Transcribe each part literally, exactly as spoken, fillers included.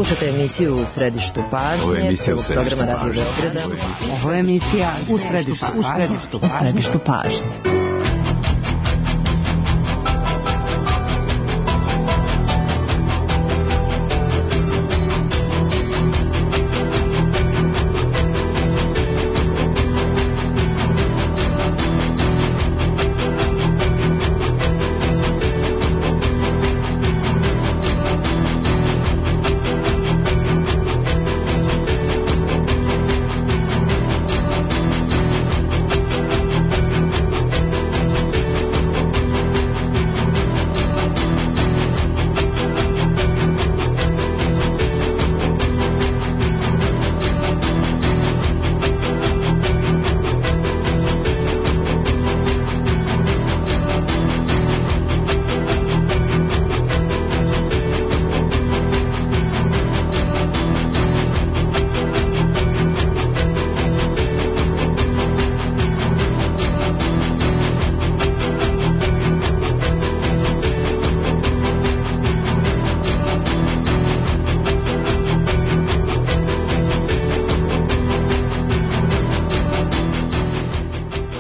Slušate emisiju U središtu pažnje. Ovo je emisija U središtu programa Radio Beograda. Ovo je emisija U središtu, u središtu, u središtu pažnje.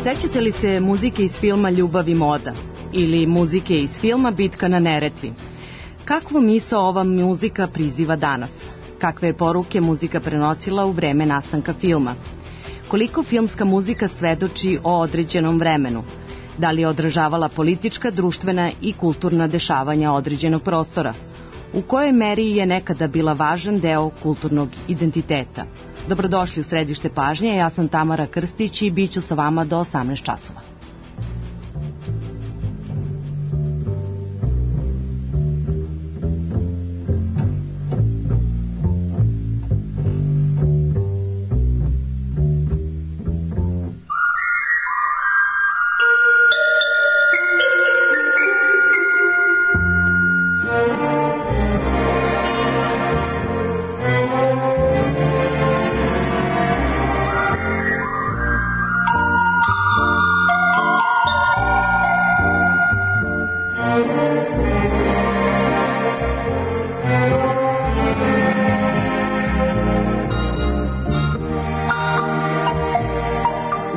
Sećate li se muzike iz filma Ljubav i moda ili muzike iz filma Bitka na Neretvi? Kakvu misao ova muzika priziva danas? Kakve je poruke muzika prenosila u vreme nastanka filma? Koliko filmska muzika svedoči o određenom vremenu? Da li je odražavala politička, društvena i kulturna dešavanja određenog prostora? U kojoj meri je nekada bila važan deo kulturnog identiteta? Dobrodošli u središte pažnje, ja sam Tamara Krstić i bit ću sa vama do osamnaest časova.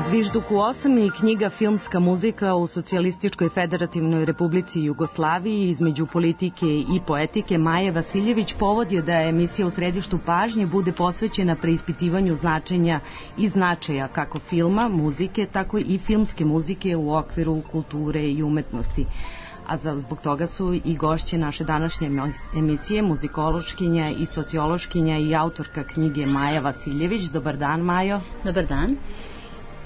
Zvižduk u osam i knjiga Filmska muzika u Socijalističkoj federativnoj republici Jugoslaviji između politike i poetike Maje Vasiljević povod je da emisija U središtu pažnje bude posvećena preispitivanju značenja i značaja kako filma, muzike, tako i filmske muzike u okviru kulture i umetnosti. A zbog toga su i gošće naše današnje emisije muzikološkinja i sociološkinja i autorka knjige Maja Vasiljević. Dobar dan, Majo. Dobar dan.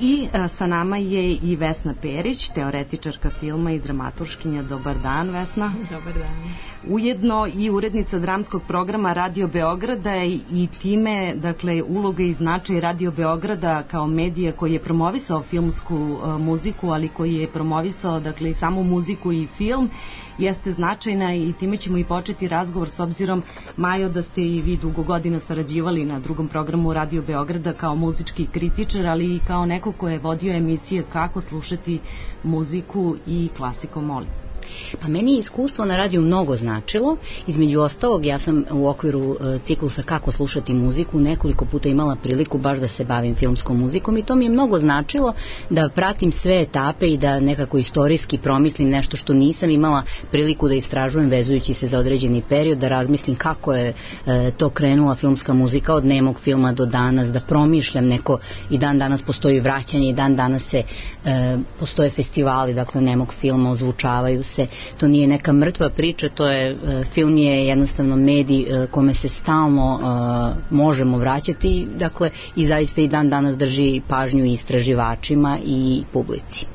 I a, sa nama je i Vesna Perić, teoretičarka filma i dramaturškinja. Dobar dan, Vesna. Dobar dan. Ujedno i urednica dramskog programa Radio Beograda i time, dakle, uloga i značaj Radio Beograda kao medija koji je promovisao filmsku a, muziku, ali koji je promovisao, dakle, i samu muziku i film, jeste značajna i time ćemo i početi razgovor s obzirom, Majo, da ste i vi dugo godina sarađivali na drugom programu Radio Beograda kao muzički kritičar, ali i kao neko ko je vodio emisije Kako slušati muziku i Klasiko moli. Pa meni je iskustvo na radiju mnogo značilo. Između ostalog, ja sam u okviru uh, ciklusa Kako slušati muziku nekoliko puta imala priliku baš da se bavim filmskom muzikom i to mi je mnogo značilo da pratim sve etape i da nekako istorijski promislim nešto što nisam imala priliku da istražujem vezujući se za određeni period, da razmislim kako je uh, to krenula filmska muzika od nemog filma do danas, da promišljam neko i dan danas postoji vraćanje i dan danas se uh, postoje festivali, dakle nemog filma, ozvučavaju se. To nije neka mrtva priča, to je, film je jednostavno medij kome se stalno uh, možemo vraćati, dakle, i zaista i dan danas drži pažnju istraživačima i publici.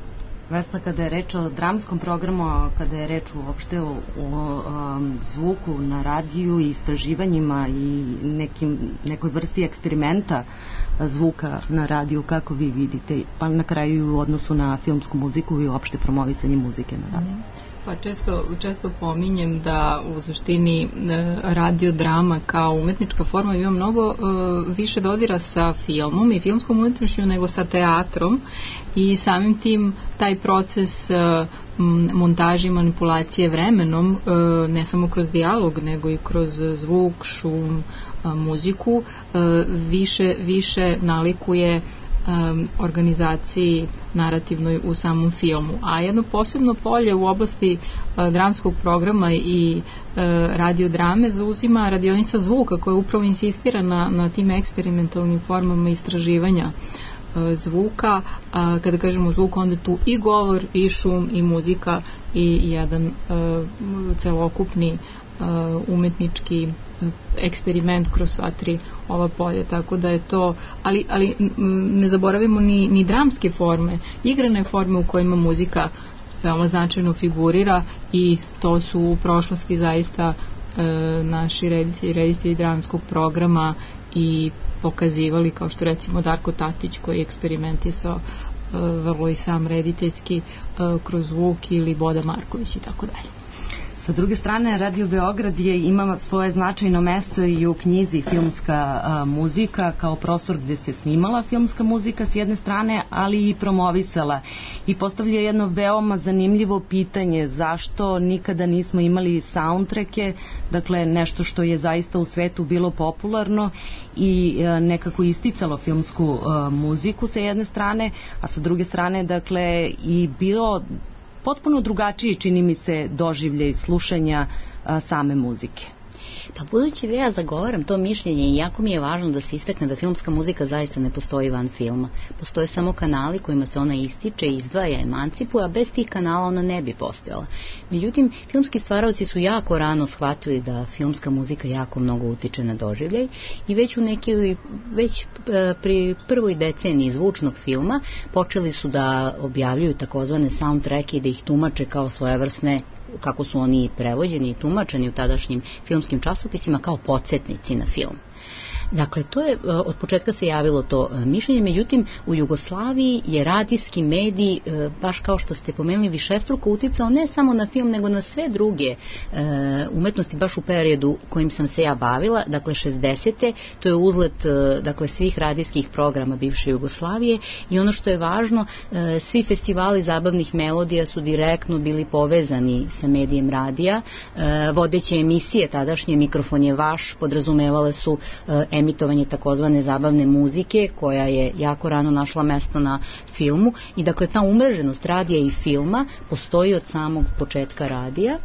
Vesna, kada je reč o dramskom programu, kada je reč uopšte o, o um, zvuku na radiju i istraživanjima i nekim, nekoj vrsti eksperimenta zvuka na radiju, kako vi vidite, pa na kraju u odnosu na filmsku muziku i uopšte promovisanje muzike na radiju? Pa često, često pominjem da u suštini radio drama kao umetnička forma ima mnogo uh, više dodira sa filmom i filmskom umetnošću nego sa teatrom i samim tim taj proces montaže i manipulacije vremenom, ne samo kroz dijalog, nego i kroz zvuk, šum, muziku, više, više nalikuje organizaciji narativnoj u samom filmu. A jedno posebno polje u oblasti dramskog programa i radiodrame zauzima radionica zvuka, koja upravo insistira na, na tim eksperimentalnim formama istraživanja zvuka. A kada kažemo zvuk, onda tu i govor, i šum, i muzika, i jedan uh, celokupni uh, umetnički eksperiment kroz sva tri ova polja, tako da je to, ali, ali ne zaboravimo ni, ni dramske forme, igrane forme u kojima muzika veoma značajno figurira, i to su u prošlosti zaista e, naši reditelji, reditelji dramskog programa i pokazivali, kao što recimo Darko Tatić, koji je eksperimentisao e, vrlo i sam rediteljski e, kroz zvuk, ili Boda Marković i tako dalje. Sa druge strane, Radio Beograd je ima svoje značajno mesto i u knjizi Filmska a, muzika, kao prostor gde se snimala filmska muzika s jedne strane, ali i promovisala. I postavlja jedno veoma zanimljivo pitanje: zašto nikada nismo imali soundtracke, dakle nešto što je zaista u svetu bilo popularno i a, nekako isticalo filmsku a, muziku sa jedne strane, a sa druge strane, dakle, i bilo potpuno drugačiji, čini mi se, doživljaj slušanja a, same muzike. Pa budući da ja zagovaram to mišljenje, i jako mi je važno da se istakne da filmska muzika zaista ne postoji van filma. Postoje samo kanali kojima se ona ističe, izdvaja, emancipuje, a bez tih kanala ona ne bi postojala. Međutim, filmski stvaraoci su jako rano shvatili da filmska muzika jako mnogo utiče na doživljaj, i već u neki, već pri prvoj deceniji zvučnog filma počeli su da objavljuju takozvane soundtracke i da ih tumače kao svojevrsne, kako su oni prevođeni i tumačeni u tadašnjim filmskim časopisima, kao podsjetnici na film. Dakle, to je, od početka se javilo to mišljenje, međutim u Jugoslaviji je radijski medij, baš kao što ste pomenuli, višestruko uticao ne samo na film, nego na sve druge umetnosti, baš u periodu kojim sam se ja bavila, dakle šezdesete, to je uzlet, dakle, svih radijskih programa bivše Jugoslavije, i ono što je važno, svi festivali zabavnih melodija su direktno bili povezani sa medijem radija, vodeće emisije tadašnje Mikrofon je vaš podrazumevale su emitovanje takozvane zabavne muzike, koja je jako rano našla mesto na filmu, i dakle ta umreženost radija i filma postoji od samog početka radija,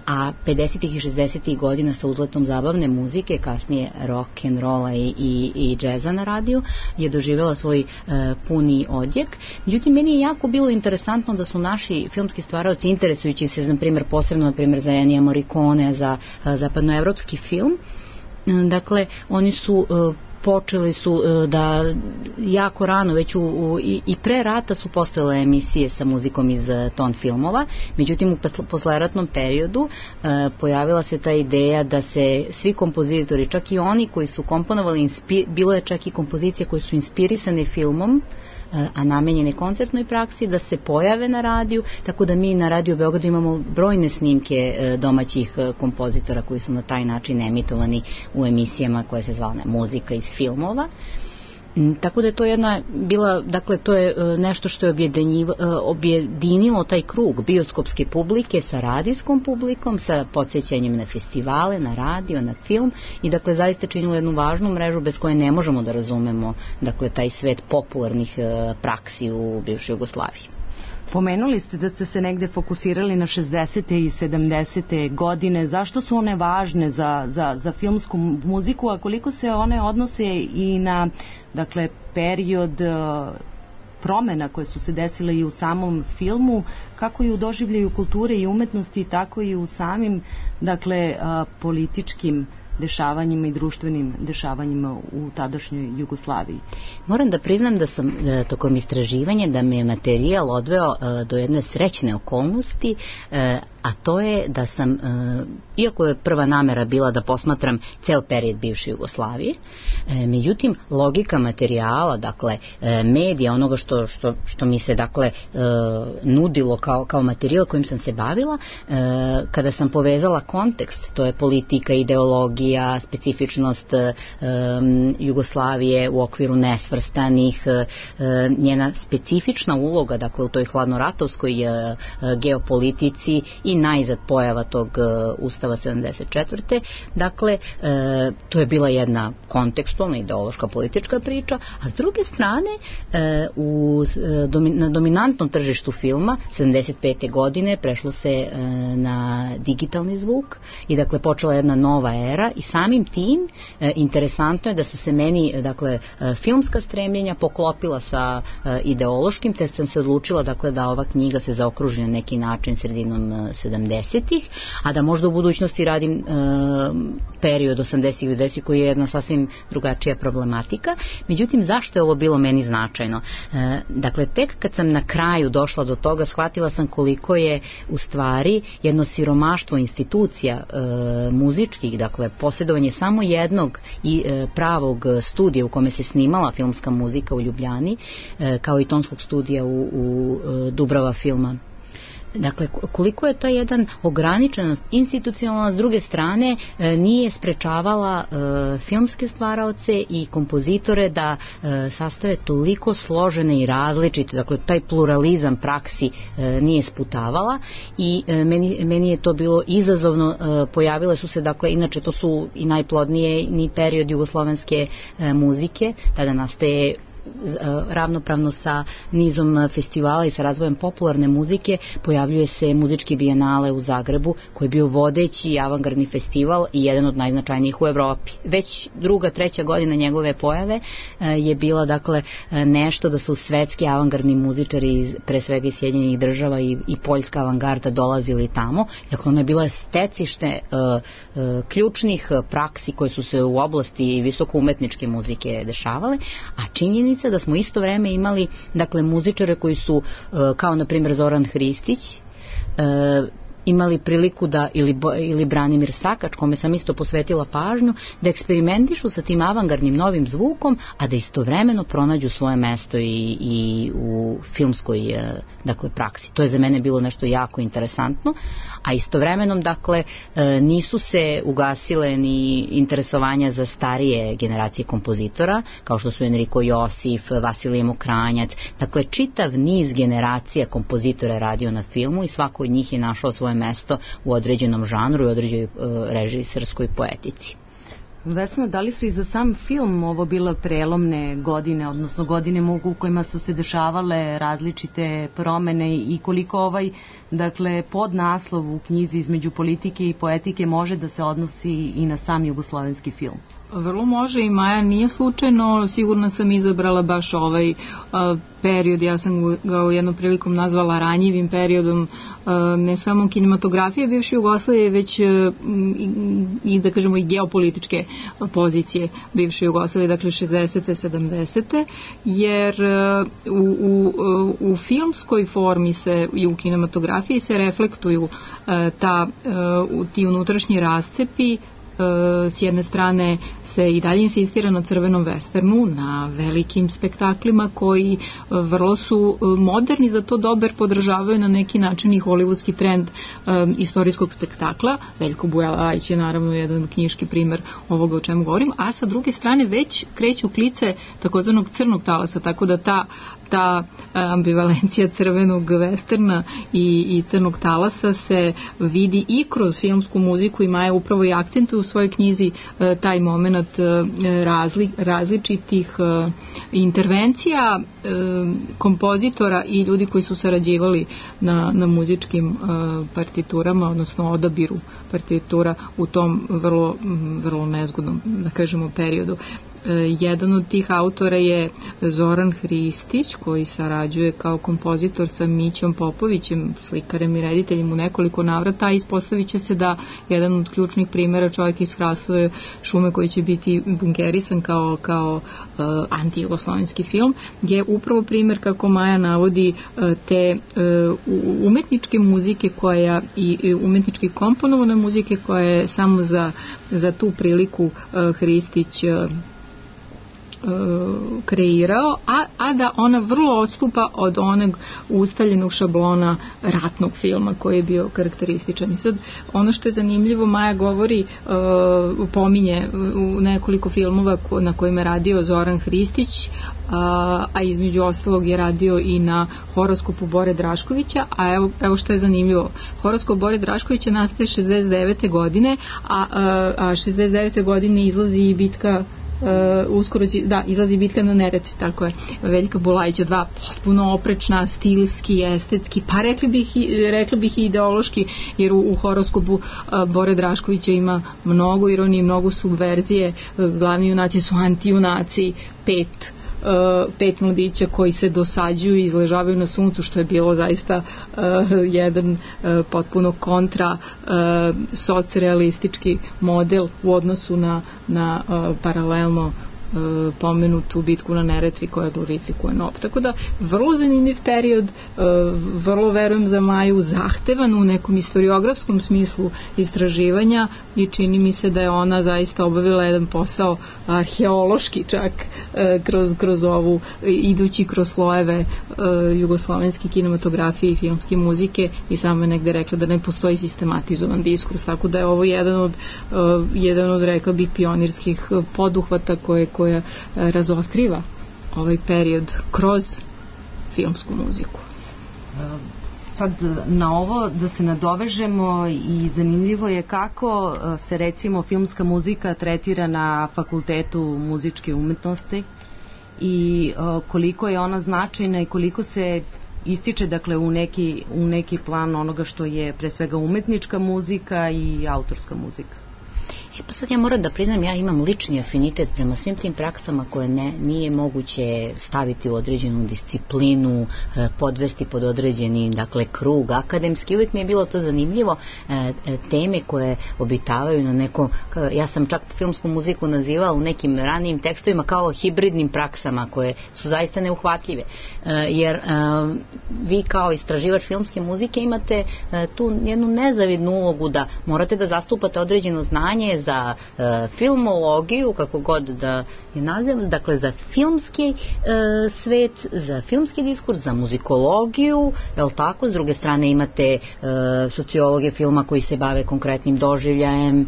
a pedesetih i šezdesetih godina sa uzletom zabavne muzike, kasnije rock and rolla i, i, i džeza na radiju, je doživjela svoj e, puni odjek. Međutim, meni je jako bilo interesantno da su naši filmski stvaraoci, interesujući se, na primjer, posebno na primjer za Ennija Morricone, za a, zapadnoevropski film, dakle, oni su e, počeli su e, da jako rano, već u, u, i, i pre rata su postojale emisije sa muzikom iz e, ton filmova, međutim u posleratnom periodu e, pojavila se ta ideja da se svi kompozitori, čak i oni koji su komponovali, inspi, bilo je čak i kompozicije koje su inspirisane filmom, a namenjene koncertnoj praksi, da se pojave na radiju, tako da mi na Radio Beogradu imamo brojne snimke domaćih kompozitora koji su na taj način emitovani u emisijama koje se zvala muzika iz filmova. Tako da je to jedna bila, dakle to je nešto što je objedinilo taj krug bioskopske publike sa radijskom publikom, sa podsjećanjem na festivale, na radio, na film, i dakle zaista činilo jednu važnu mrežu bez koje ne možemo da razumemo, dakle, taj svet popularnih praksi u bivšoj Jugoslaviji. Pomenuli ste da ste se negde fokusirali na šezdesete i sedamdesete godine. Zašto su one važne za, za, za filmsku muziku, a koliko se one odnose i na, dakle, period promena koje su se desile i u samom filmu, kako i u doživljaju kulture i umetnosti, tako i u samim, dakle, političkim dešavanjima i društvenim dešavanjima u tadašnjoj Jugoslaviji? Moram da priznam da sam e, tokom istraživanja, da me je materijal odveo e, do jedne srećne okolnosti, e, a to je da sam, iako je prva namera bila da posmatram ceo period bivše Jugoslavije, međutim logika materijala, dakle medija, onoga što, što, što mi se dakle nudilo kao, kao materijal kojim sam se bavila, kada sam povezala kontekst, to je politika, ideologija, specifičnost Jugoslavije u okviru nesvrstanih, njena specifična uloga, dakle u toj hladnoratovskoj geopolitici i najzad pojava tog Ustava sedamdeset četvrte. Dakle, to je bila jedna kontekstualna, ideološka, politička priča, a s druge strane, u, na dominantnom tržištu filma sedamdeset pete godine prešlo se na digitalni zvuk i dakle počela jedna nova era i samim tim interesantno je da su se meni dakle filmska stremljenja poklopila sa ideološkim, te sam se odlučila dakle da ova knjiga se zaokruži na neki način sredinom sedamdesetih, a da možda u budućnosti radim e, period osamdesetih i devedesetih koji je jedna sasvim drugačija problematika. Međutim, zašto je ovo bilo meni značajno? E, dakle, tek kad sam na kraju došla do toga, shvatila sam koliko je u stvari jedno siromaštvo institucija e, muzičkih, dakle, posjedovanje samo jednog i e, pravog studija u kome se snimala filmska muzika u Ljubljani, e, kao i tonskog studija u, u e, Dubrava filma. Dakle, koliko je to jedan ograničenost institucionalna, s druge strane e, nije sprečavala e, filmske stvaraoce i kompozitore da e, sastave toliko složene i različite, dakle taj pluralizam praksi e, nije sputavala i e, meni, meni je to bilo izazovno, e, pojavile su se, dakle, inače to su i najplodnije ni period jugoslovenske e, muzike, tada nastaje ravnopravno sa nizom festivala i sa razvojem popularne muzike, pojavljuje se muzički bijenale u Zagrebu, koji je bio vodeći avangardni festival i jedan od najznačajnijih u Evropi. Već druga, treća godina njegove pojave je bila dakle nešto da su svetski avangardni muzičari, pre svega iz Sjedinjenih država i, i poljska avangarda dolazili tamo. Dakle, ona je bila stecište uh, uh, ključnih praksi koje su se u oblasti visoko umetničke muzike dešavale, a činjenica da smo isto vreme imali dakle muzičare koji su kao na primjer Zoran Hristić imali priliku da, ili, ili Branimir Sakač, kome sam isto posvetila pažnju, da eksperimentišu sa tim avangardnim novim zvukom, a da istovremeno pronađu svoje mesto i, i u filmskoj dakle, praksi. To je za mene bilo nešto jako interesantno, a istovremenom dakle nisu se ugasile ni interesovanja za starije generacije kompozitora, kao što su Enrico Josif, Vasilije Mokranjac, dakle čitav niz generacija kompozitora je radio na filmu i svako od njih je našao svoje mesto u određenom žanru i određenoj uh, režiserskoj poetici. Vesna, da li su i za sam film ovo bile prelomne godine, odnosno godine u kojima su se dešavale različite promene i koliko ovaj, dakle, podnaslov u knjizi između politike i poetike može da se odnosi i na sam jugoslovenski film? Vrlo može i Maja nije slučajno, sigurno sam izabrala baš ovaj uh, period, ja sam ga u jednom prilikom nazvala ranjivim periodom uh, ne samo kinematografije bivše Jugoslavije, već uh, i, i da kažemo i geopolitičke pozicije bivše Jugoslavije, dakle šezdesete, sedamdesete, jer uh, u, u, u filmskoj formi se i u kinematografiji se reflektuju uh, ta, uh, ti unutrašnji rascepi. S jedne strane se i dalje insistira na crvenom westernu, na velikim spektaklima koji vrlo su moderni, za to dobar podržavaju na neki način i hollywoodski trend um, istorijskog spektakla. Veljko Bujalajić je naravno jedan knjiški primer ovoga o čemu govorim, a sa druge strane već kreću klice takozvanog crnog talasa, tako da ta ta ambivalencija crvenog westerna i, i crnog talasa se vidi i kroz filmsku muziku i Maja upravo i akcentuje u svojoj knjizi e, taj moment e, razli, različitih e, intervencija e, kompozitora i ljudi koji su sarađivali na, na muzičkim e, partiturama, odnosno odabiru partitura u tom vrlo, vrlo nezgodnom, da kažemo, periodu. jedan od tih autora je Zoran Hristić, koji sarađuje kao kompozitor sa Mićom Popovićem, slikarem i rediteljem u nekoliko navrata, a ispostavit će se da jedan od ključnih primjera čovjek iz Hrastove šume koji će biti bunkerisan kao, kao uh, anti-jugoslovenski film, je upravo primjer, kako Maja navodi, uh, te uh, umetničke muzike koja i, i umetnički komponovane muzike koja je samo za, za tu priliku uh, Hristić uh, kreirao, a, a da ona vrlo odstupa od onog ustaljenog šablona ratnog filma koji je bio karakterističan. I sad, ono što je zanimljivo, Maja govori, uh, pominje u nekoliko filmova ko, na kojima je radio Zoran Hristić, a, a između ostalog je radio i na horoskopu Bore Draškovića, a evo, evo što je zanimljivo. Horoskop Bore Draškovića nastaje šezdeset devete godine, a, a, a šezdeset devete godine izlazi i bitka Uh, uskoro će, da, izlazi bitka na Neretvi, tako je, Veljka Bulajića dva, potpuno oprečna, stilski, estetski, pa rekli bih, rekli bih i ideološki, jer u, u horoskopu uh, Bore Draškovića ima mnogo ironije, mnogo subverzije, uh, glavni junaci su antijunaci, pet Uh, pet mladića koji se dosađuju i izležavaju na suncu, što je bilo zaista uh, jedan uh, potpuno kontra uh, socrealistički model u odnosu na, na uh, paralelno pomenutu bitku na Neretvi koja glorifikuje N O B. Tako da, vrlo zanimljiv period, vrlo verujem za Maju, zahtevan u nekom istoriografskom smislu istraživanja i čini mi se da je ona zaista obavila jedan posao arheološki čak kroz, kroz ovu, idući kroz slojeve jugoslovenske kinematografije i filmske muzike i samo je negde rekla da ne postoji sistematizovan diskurs, tako da je ovo jedan od, jedan od rekla bih, pionirskih poduhvata koje koja razotkriva ovaj period kroz filmsku muziku. Sad na ovo da se nadovežemo i zanimljivo je kako se recimo filmska muzika tretira na Fakultetu muzičke umetnosti i koliko je ona značajna i koliko se ističe dakle u neki, u neki plan onoga što je pre svega umetnička muzika i autorska muzika. E pa sad ja moram da priznam, ja imam lični afinitet prema svim tim praksama koje ne, nije moguće staviti u određenu disciplinu, podvesti pod određeni, dakle, krug akademski. Uvijek mi je bilo to zanimljivo, teme koje obitavaju na nekom, ja sam čak filmsku muziku nazivala u nekim ranijim tekstovima kao hibridnim praksama koje su zaista neuhvatljive. Jer vi kao istraživač filmske muzike imate tu jednu nezavidnu ulogu da morate da zastupate određeno znanje za e, filmologiju, kako god da je nazivam, dakle za filmski e, svet, za filmski diskurs, za muzikologiju, je li tako? S druge strane imate e, sociologe filma koji se bave konkretnim doživljajem, e,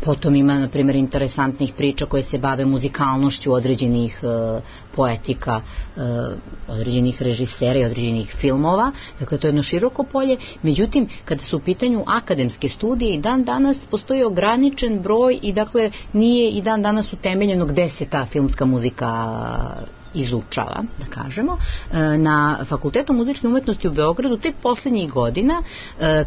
potom ima, na primjer, interesantnih priča koje se bave muzikalnošću određenih e, poetika, e, određenih režisera i određenih filmova, dakle to je jedno široko polje. Međutim, kada su u pitanju akademske studije i dan danas postoji ograničen broj i dakle nije i dan danas utemeljeno gde se ta filmska muzika izučava, da kažemo. Na Fakultetu muzičke umetnosti u Beogradu tek poslednjih godina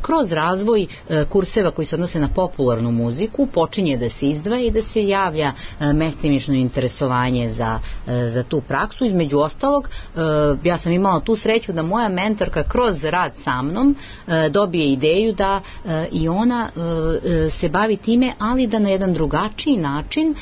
kroz razvoj kurseva koji se odnose na popularnu muziku počinje da se izdvaja i da se javlja mestimično interesovanje za, za tu praksu. Između ostalog, ja sam imala tu sreću da moja mentorka kroz rad sa mnom dobije ideju da i ona se bavi time, ali da na jedan drugačiji način,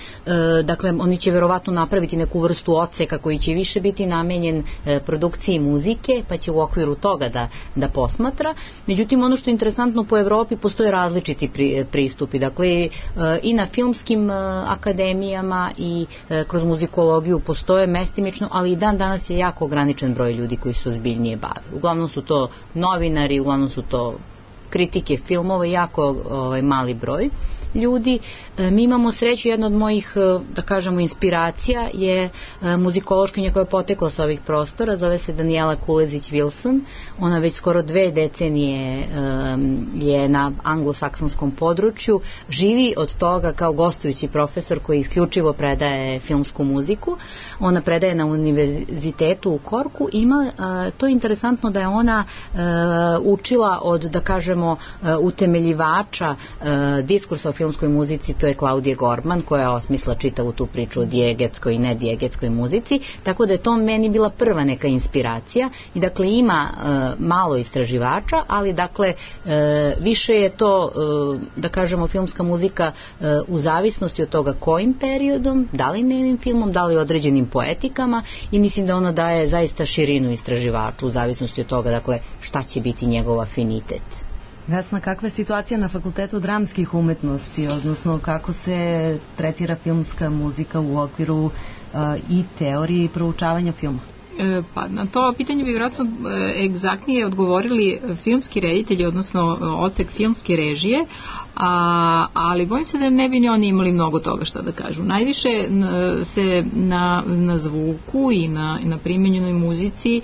dakle oni će verovatno napraviti neku vrstu odseka koji će više biti namenjen e, produkciji muzike, pa će u okviru toga da, da posmatra. Međutim, ono što je interesantno, po Evropi postoje različiti pri, pristupi. Dakle, e, i na filmskim e, akademijama i e, kroz muzikologiju postoje mestimično, ali i dan danas je jako ograničen broj ljudi koji se ozbiljnije bave. Uglavnom su to novinari, uglavnom su to kritike filmova, jako ovaj, mali broj ljudi. Mi imamo sreću, jedna od mojih, da kažemo, inspiracija je muzikološkinja koja je potekla sa ovih prostora, zove se Danijela Kulezić-Wilson. Ona već skoro dve decenije je na anglosaksonskom području, živi od toga kao gostujući profesor koji isključivo predaje filmsku muziku. Ona predaje na univerzitetu u Korku. Ima, to je interesantno da je ona učila od, da kažemo, utemeljivača diskursa o filmskoj muzici, to je Klaudija Gorman, koja osmisla čitavu tu priču o dijegetskoj i nedijegetskoj muzici, tako da je to meni bila prva neka inspiracija i dakle ima e, malo istraživača, ali dakle e, više je to, e, da kažemo, filmska muzika e, u zavisnosti od toga kojim periodom, da li nemim filmom, da li određenim poetikama, i mislim da ona daje zaista širinu istraživaču u zavisnosti od toga, dakle, šta će biti njegov afinitet. Vesna, kakva je situacija na Fakultetu dramskih umetnosti, odnosno kako se tretira filmska muzika u okviru uh, i teorije i proučavanja filma? E, pa na to pitanje bi vjerojatno e, egzaktnije odgovorili filmski reditelji, odnosno odsek filmske režije, a, ali bojim se da ne bi ni oni imali mnogo toga šta da kažu. Najviše n, se na, na zvuku i na, na primenjenoj muzici e,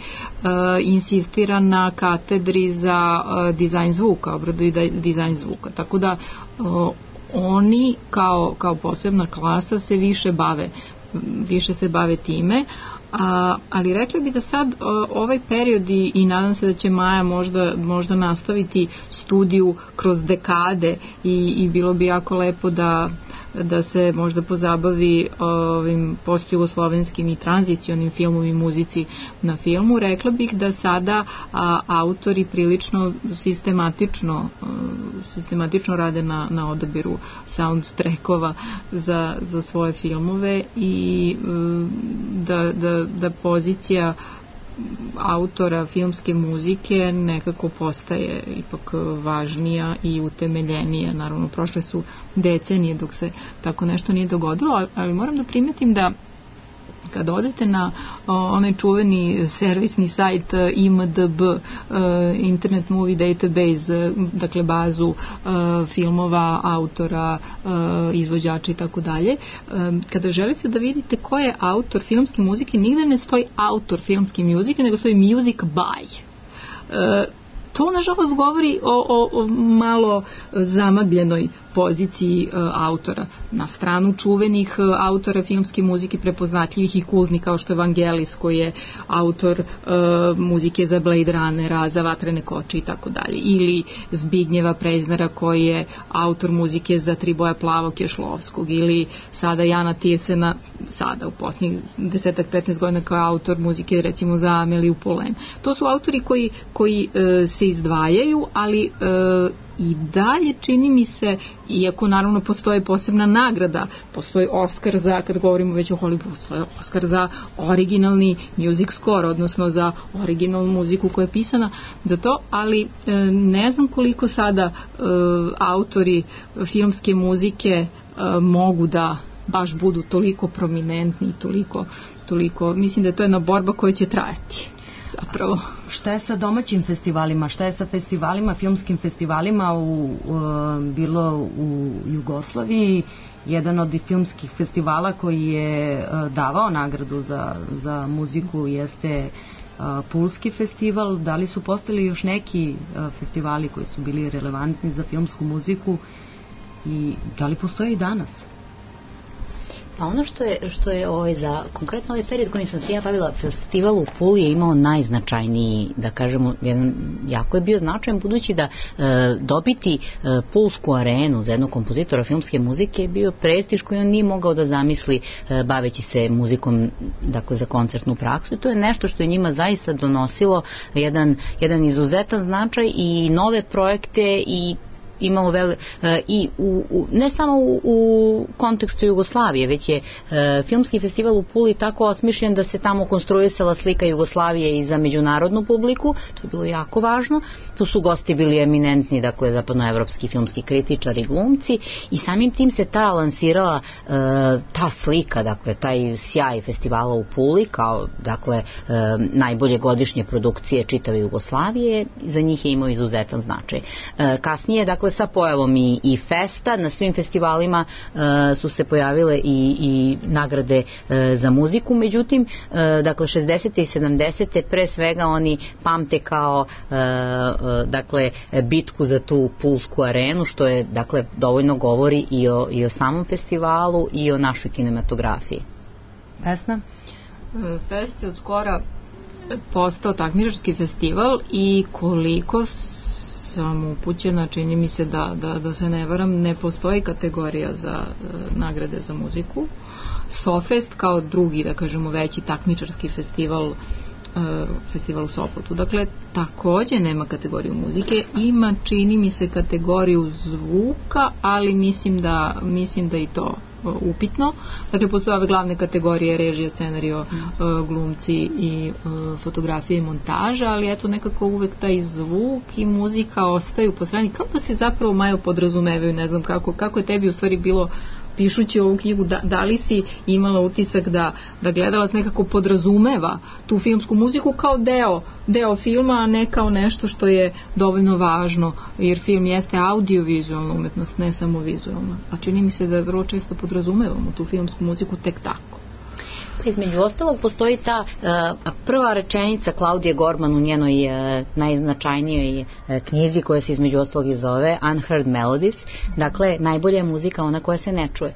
insistira na katedri za e, dizajn zvuka, obradu i dizajn zvuka. Tako da o, oni kao, kao posebna klasa se više bave, više se bave time. A, ali rekla bi da sad o, ovaj period i, i nadam se da će Maja možda, možda nastaviti studiju kroz dekade i, i bilo bi jako lepo da, da se možda pozabavi ovim postjugoslovenskim i tranzicionim filmom i muzici na filmu. Rekla bih da sada a, autori prilično sistematično a, sistematično rade na, na odabiru soundtrackova za, za svoje filmove i a, da, da da pozicija autora filmske muzike nekako postaje ipak važnija i utemeljenija. Naravno, prošle su decenije dok se tako nešto nije dogodilo, ali moram da primetim da kada odete na o, onaj čuveni servisni sajt I M D B, uh, Internet Movie Database, dakle bazu uh, filmova, autora, uh, izvođača i tako dalje, kada želite da vidite ko je autor filmske muzike, nigde ne stoji autor filmske muzike, nego stoji music by. Uh, To, nažalost, govori o, o, o malo zamagljenoj poziciji e, autora. Na stranu čuvenih e, autora filmske muzike, prepoznatljivih i kultnih, kao što je Vangelis, koji je autor e, muzike za Blade Runnera, za Vatrene koče i tako dalje. Ili Zbignjeva Preznera, koji je autor muzike za Tri boja plavog Kešlovskog. Ili sada Jana Tirsena, sada u posljednjih desetak petnaest godina kao autor muzike, recimo, za Ameliju Poulain. To su autori koji, koji e, se izdvajaju, ali e, i dalje čini mi se, iako naravno postoji posebna nagrada, postoji Oscar za, kad govorimo već o Hollywoodu, postoji Oscar za originalni music score, odnosno za originalnu muziku koja je pisana za to, ali e, ne znam koliko sada e, autori filmske muzike e, mogu da baš budu toliko prominentni, toliko, toliko, mislim da je to jedna borba koja će trajati. Zapravo. Šta je sa domaćim festivalima? Šta je sa festivalima, filmskim festivalima u, u, bilo u Jugoslaviji? Jedan od filmskih festivala koji je davao nagradu za, za muziku jeste Pulski festival. Da li su postali još neki festivali koji su bili relevantni za filmsku muziku i da li postoje i danas? A ono što je, što je ovaj, za konkretno ovaj period kojim sam se ja bavila, festival u Puli je imao najznačajniji, da kažemo, jedan, jako je bio značajan, budući da e, dobiti e, Pulsku arenu za jednog kompozitora filmske muzike je bio prestiž koji on nije mogao da zamisli e, baveći se muzikom, dakle, za koncertnu praksu, i to je nešto što je njima zaista donosilo jedan, jedan izuzetan značaj i nove projekte i imalo vel, e, i u, u, ne samo u, u kontekstu Jugoslavije, već je e, filmski festival u Puli tako osmišljen da se tamo konstruisala slika Jugoslavije i za međunarodnu publiku, to je bilo jako važno. Tu su gosti bili eminentni, dakle, zapadnoevropski filmski kritičari, glumci, i samim tim se ta lansirala e, ta slika, dakle, taj sjaj festivala u Puli kao, dakle, e, najbolje godišnje produkcije čitave Jugoslavije, za njih je imao izuzetan značaj. E, kasnije, dakle, sa pojavom i, i festa, na svim festivalima e, su se pojavile i, i nagrade e, za muziku, međutim, e, dakle, šezdesete i sedamdesete pre svega oni pamte kao e, dakle, bitku za tu Pulsku arenu, što je, dakle, dovoljno govori i o, i o samom festivalu i o našoj kinematografiji. Vesna? Fest je od skora postao takmičarski festival i koliko sam upućena, čini mi se da, da, da se ne varam, ne postoji kategorija za uh, nagrade za muziku. Sofest kao drugi, da kažemo, veći takmičarski festival festival u Sopotu. Dakle, takođe nema kategoriju muzike, ima, čini mi se, kategoriju zvuka, ali mislim da, mislim da i to upitno. Dakle, postoje ove glavne kategorije: režija, scenario, mm. glumci i fotografija i montaža, ali eto, nekako uvek taj zvuk i muzika ostaju po strani, kao da se zapravo Majo podrazumevaju. Ne znam kako, kako je tebi u stvari bilo pišući ovu knjigu, da, da li si imala utisak da, da gledalac nekako podrazumeva tu filmsku muziku kao deo, deo filma, a ne kao nešto što je dovoljno važno, jer film jeste audiovizualna umetnost, ne samo vizualna. A čini mi se da vrlo često podrazumevamo tu filmsku muziku tek tako. Između ostalog postoji ta uh, prva rečenica Klaudije Gorman u njenoj uh, najznačajnijoj uh, knjizi, koja se između ostalog i zove Unheard Melodies, dakle najbolja je muzika ona koja se ne čuje.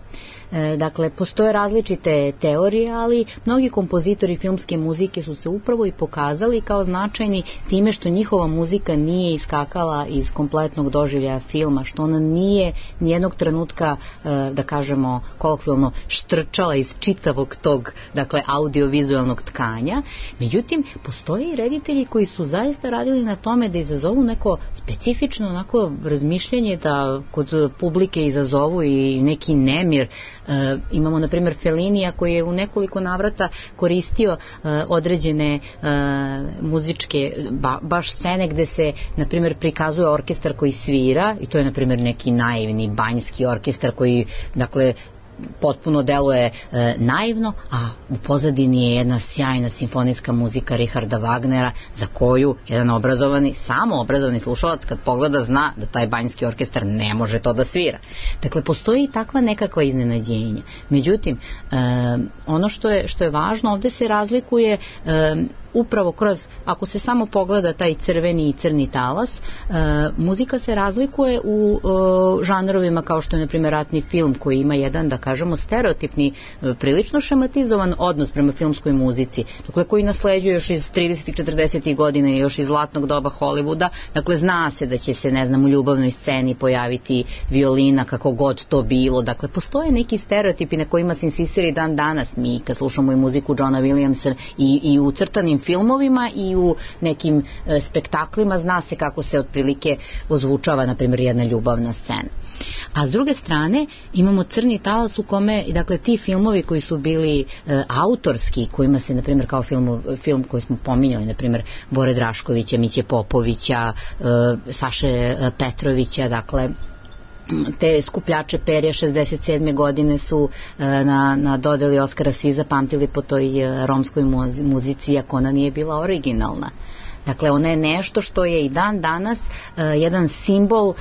Dakle, postoje različite teorije, ali mnogi kompozitori filmske muzike su se upravo i pokazali kao značajni time što njihova muzika nije iskakala iz kompletnog doživljaja filma, što ona nije nijednog trenutka, da kažemo kolokvijalno, štrčala iz čitavog tog, dakle, audiovizualnog tkanja. Međutim, postoje i reditelji koji su zaista radili na tome da izazovu neko specifično onako razmišljanje, da kod publike izazovu i neki nemir. Uh, imamo, na primjer, Fellinija koji je u nekoliko navrata koristio uh, određene uh, muzičke ba, baš scene gde se, na primjer, prikazuje orkestar koji svira, i to je, na primjer, neki naivni banjski orkestar koji, dakle, potpuno deluje e, naivno, a u pozadini je jedna sjajna simfonijska muzika Richarda Wagnera, za koju jedan obrazovani, samo obrazovani slušalac kad pogleda zna da taj banjski orkestar ne može to da svira. Dakle, postoji i takva nekakva iznenađenja. Međutim, e, ono što je, što je važno, ovde se razlikuje e, upravo kroz, ako se samo pogleda taj crveni i crni talas, e, muzika se razlikuje u e, žanrovima kao što je, na primjer, ratni film, koji ima jedan, da kažemo, stereotipni, e, prilično šematizovan odnos prema filmskoj muzici, dakle, koji nasleđuje još iz tridesetih i četrdesetih godina i još iz zlatnog doba Hollywooda. Dakle, zna se da će se, ne znam, u ljubavnoj sceni pojaviti violina, kako god to bilo. Dakle, postoje neki stereotipi na kojima se insistira i dan danas. Mi, kad slušamo i muziku Johna Williamsa i, i u crtanim filmovima i u nekim e, spektaklima, zna se kako se otprilike ozvučava, na primjer, jedna ljubavna scena. A s druge strane imamo crni talas u kome, dakle, ti filmovi koji su bili e, autorski, kojima se, na primjer, kao film, film koji smo pominjali, na primjer, Bore Draškovića, Miće Popovića, e, Saše Petrovića, dakle, te skupljače perja šezdeset sedme godine su e, na, na dodeli Oskara svi zapamtili po toj e, romskoj muzici, ako ona nije bila originalna. Dakle, ona je nešto što je i dan danas uh, jedan simbol uh,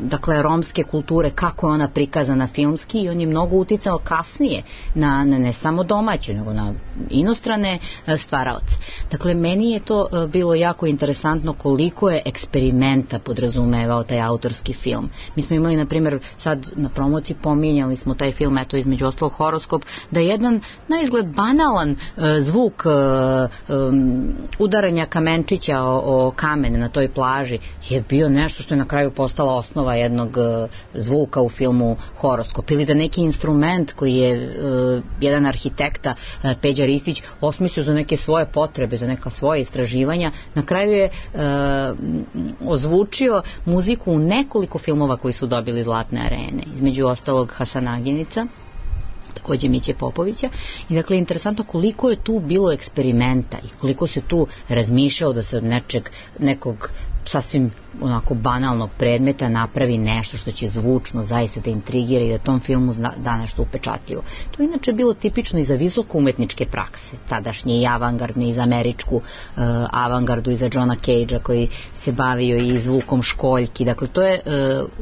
dakle, romske kulture, kako je ona prikazana filmski, i on je mnogo uticao kasnije na, na ne samo domaću, nego na inostrane uh, stvaraoce. Dakle, meni je to uh, bilo jako interesantno koliko je eksperimenta podrazumevao taj autorski film. Mi smo imali, na primjer, sad na promociji pominjali smo taj film, eto, između ostalog Horoskop, da je jedan na izgled banalan uh, zvuk uh, um, udaranja kamenčića o, o kamen na toj plaži je bio nešto što je na kraju postala osnova jednog uh, zvuka u filmu Horoskop, ili da neki instrument koji je uh, jedan arhitekta, uh, Peđa Ristić, osmislio za neke svoje potrebe, za neka svoje istraživanja, na kraju je uh, ozvučio muziku u nekoliko filmova koji su dobili Zlatne arene, između ostalog Hasanaginica, takođe Miće Popovića. I dakle, interesantno koliko je tu bilo eksperimenta i koliko se tu razmišljao da se od nečeg, nekog sasvim onako banalnog predmeta napravi nešto što će zvučno zaista da intrigira i da tom filmu da nešto upečatljivo. To je inače bilo tipično i za visoko umetničke prakse, tadašnje i avangardne, i za američku uh, avangardu, i za Johna Cagea koji se bavio i zvukom školjki. Dakle, to je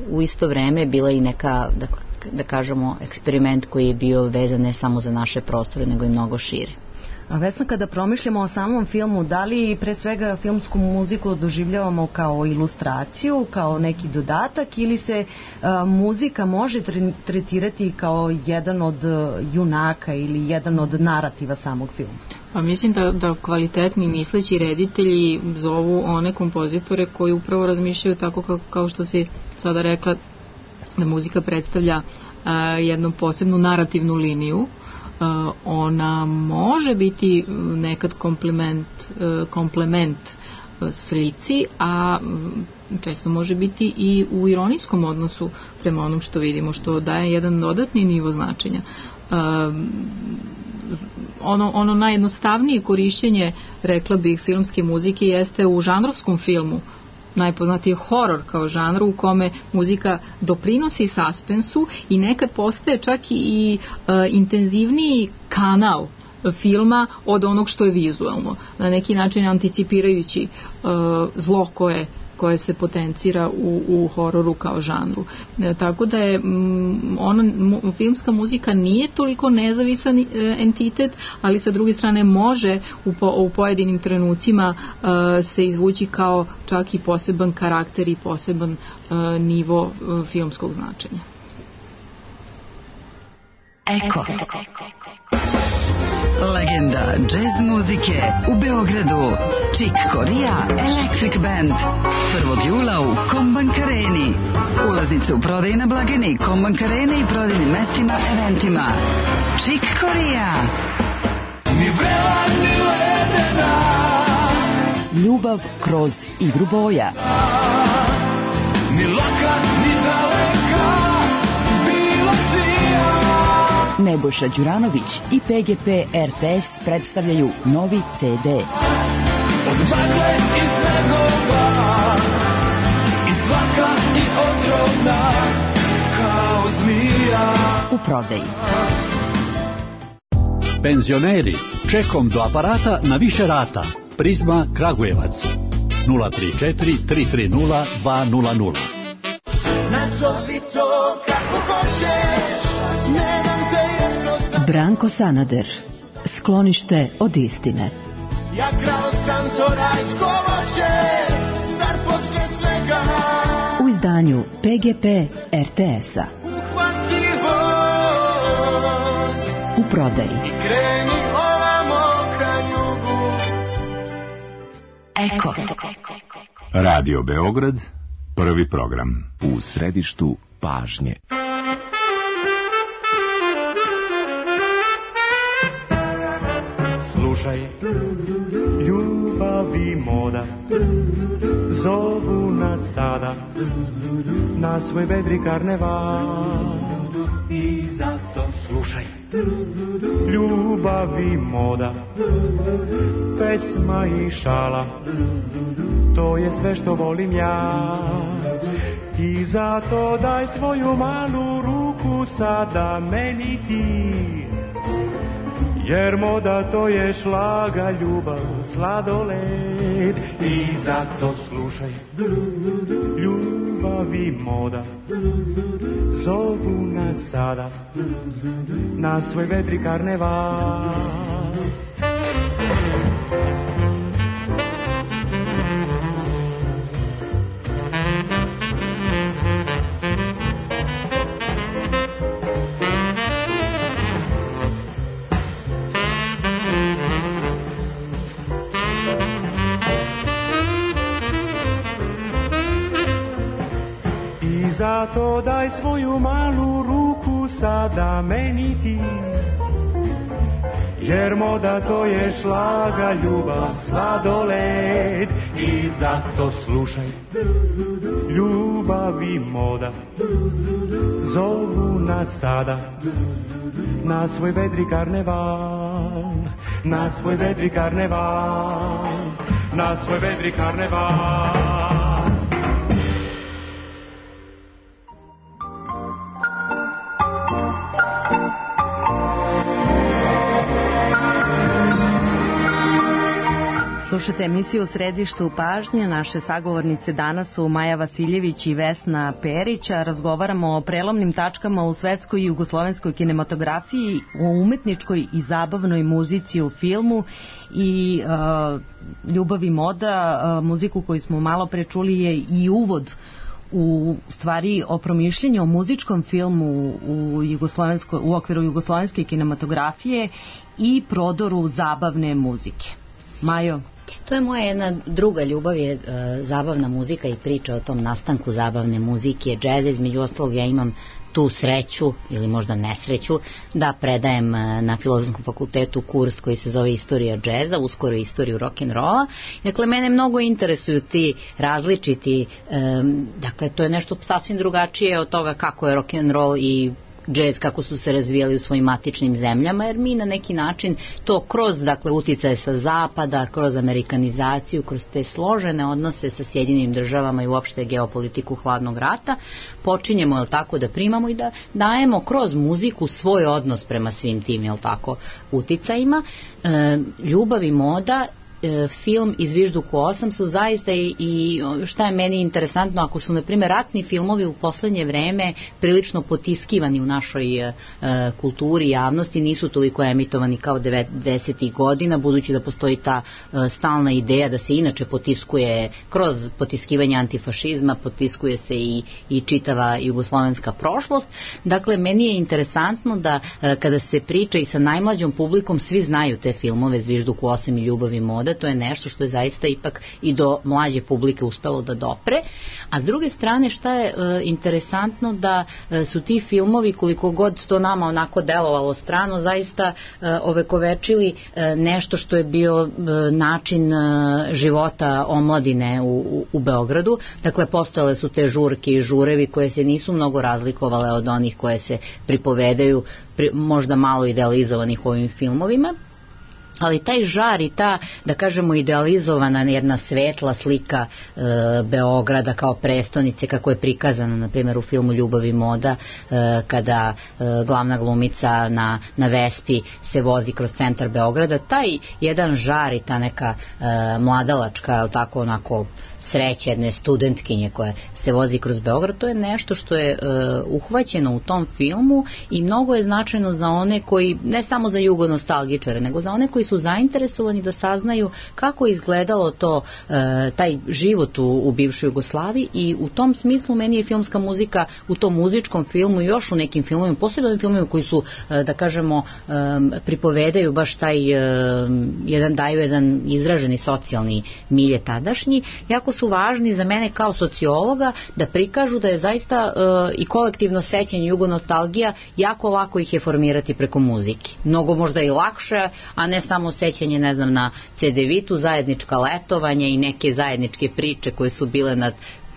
uh, u isto vreme bila i neka, dakle, da kažemo, eksperiment koji je bio vezan ne samo za naše prostore, nego i mnogo šire. A Vesna, kada promišljamo o samom filmu, da li pre svega filmsku muziku doživljavamo kao ilustraciju, kao neki dodatak, ili se a, muzika može tretirati kao jedan od junaka ili jedan od narativa samog filma? Pa mislim da, da kvalitetni misleći reditelji zovu one kompozitore koji upravo razmišljaju tako kao, kao što si sada rekla, da muzika predstavlja uh, jednu posebnu narativnu liniju. Uh, ona može biti nekad komplement, uh, komplement uh, slici, a um, često može biti i u ironijskom odnosu prema onom što vidimo, što daje jedan dodatni nivo značenja. Uh, ono, ono najjednostavnije korišćenje, rekla bih, filmske muzike jeste u žanrovskom filmu. Najpoznatiji je horor kao žanr u kome muzika doprinosi suspensu i nekad postaje čak i uh, intenzivniji kanal filma od onog što je vizualno, na neki način anticipirajući uh, zlo koje koje se potencira u, u hororu kao žanru. E, tako da je m, ona, m, filmska muzika nije toliko nezavisan e, entitet, ali sa druge strane može u, po, u pojedinim trenucima e, se izvući kao čak i poseban karakter i poseban e, nivo e, filmskog značenja. Eko. Legenda džez muzike u Beogradu. Chick Corea Electric Band. prvog jula u Kombank Areni. Ulaznice u prodaju na blagajni Kombank Arene i prodajnim mestima, eventima. Chick Corea. Ljubav kroz igru boja. Ni laka, ni daleka, bilo čija. Nebojša Đuranović i P G P R T S predstavljaju novi C D. Od magle i snegova, i slaka i otrovna, kao zmija. U prodaji. Penzioneri, čekom do aparata na više rata. Prizma Kragujevac. nula tri četiri tri tri nula dva nula nula. Nazovi to kako hoćeš, ne dam te jedno sam. Branko Sanader, sklonište od istine. Ja krao sam to rajsko voće, zar posle svega u izdanju P G P R T S-a. Uhvati voz u prodaji. I kreni ovamo ka jugu. Eko. Radio Beograd, prvi program. U središtu pažnje. Slušaj, ljubav i moda zovu nas sada na svoj vedri karneval. I zato slušaj, ljubav i moda, pesma i šala, to je sve što volim ja. I zato daj svoju malu ruku sada meni ti, jer moda to je šlaga, ljubav, sladoled. I zato slušaj, ljubav i moda zovu nas sada na svoj vedri karneval. Zato daj svoju malu ruku sada meni ti, jer moda to je šlaga, ljubav, sladoled. I zato slušaj, ljubav i moda zovu nas sada na svoj vedri karneval, na svoj vedri karneval, na svoj vedri karneval. Slušajte emisiju u središtu pažnje. Naše sagovornice danas su Maja Vasiljević i Vesna Perić. Razgovaramo o prelomnim tačkama u svetskoj i jugoslovenskoj kinematografiji, o umetničkoj i zabavnoj muzici u filmu i uh, ljubav i moda. Uh, muziku koju smo malo pre čuli je i uvod u stvari o promišljanju o muzičkom filmu u, jugoslovensko, u okviru jugoslovenske kinematografije i prodoru zabavne muzike. Majo? To je moja jedna druga ljubav, je uh, zabavna muzika i priča o tom nastanku zabavne muzike, džeza. Između ostalog ja imam tu sreću ili možda nesreću da predajem na Filozofskom fakultetu kurs koji se zove Istorija džeza, uskoro istoriju rock'n'rolla. Dakle, mene mnogo interesuju ti različiti, um, dakle, to je nešto sasvim drugačije od toga kako je rock'n'roll i džez kako su se razvijali u svojim matičnim zemljama, jer mi na neki način to kroz, dakle, uticaje sa zapada, kroz amerikanizaciju, kroz te složene odnose sa Sjedinjenim državama i uopšte geopolitiku hladnog rata, počinjemo, jel tako, da primamo i da dajemo kroz muziku svoj odnos prema svim tim, jel tako, uticajima. E, ljubav i moda, film i Zvižduk u osam su zaista i, i šta je meni interesantno, ako su na primjer ratni filmovi u poslednje vreme prilično potiskivani u našoj e, kulturi i javnosti, nisu toliko emitovani kao devedesetih godina, budući da postoji ta e, stalna ideja da se inače potiskuje kroz potiskivanje antifašizma, potiskuje se i, i čitava jugoslovenska prošlost. Dakle, meni je interesantno da e, kada se priča i sa najmlađom publikom, svi znaju te filmove Zvižduk u osam i Ljubav i moda. To je nešto što je zaista ipak i do mlađe publike uspelo da dopre. A s druge strane, šta je e, interesantno, da e, su ti filmovi, koliko god to nama onako delovalo strano, zaista e, ovekovečili e, nešto što je bio e, način e, života omladine u, u, u Beogradu. Dakle, postojale su te žurke i žurevi koje se nisu mnogo razlikovale od onih koje se pripovedaju, pri, možda malo idealizovanih u ovim filmovima. Ali taj žar i ta, da kažemo, idealizovana jedna svetla slika e, Beograda kao prestonice, kako je prikazana na primjer u filmu Ljubav i moda, e, kada e, glavna glumica na, na Vespi se vozi kroz centar Beograda, taj jedan žar i ta neka e, mladalačka, tako onako sreća jedne studentkinje koja se vozi kroz Beograd, to je nešto što je e, uhvaćeno u tom filmu i mnogo je značajno za one koji, ne samo za jugonostalgičare, nego za one koji su zainteresovani da saznaju kako je izgledalo to, e, taj život u, u bivšoj Jugoslaviji, i u tom smislu meni je filmska muzika u tom muzičkom filmu i još u nekim filmovima, posebno filmovima koji su, e, da kažemo, e, pripovedaju baš taj e, jedan, daju jedan izraženi socijalni milje tadašnji, jako su važni za mene kao sociologa da prikažu da je zaista e, i kolektivno sećanje, jugonostalgija, jako lako ih je formirati preko muzike. Mnogo možda i lakše, a ne samo sećanje, ne znam, na cedevitu, zajednička letovanja i neke zajedničke priče koje su bile na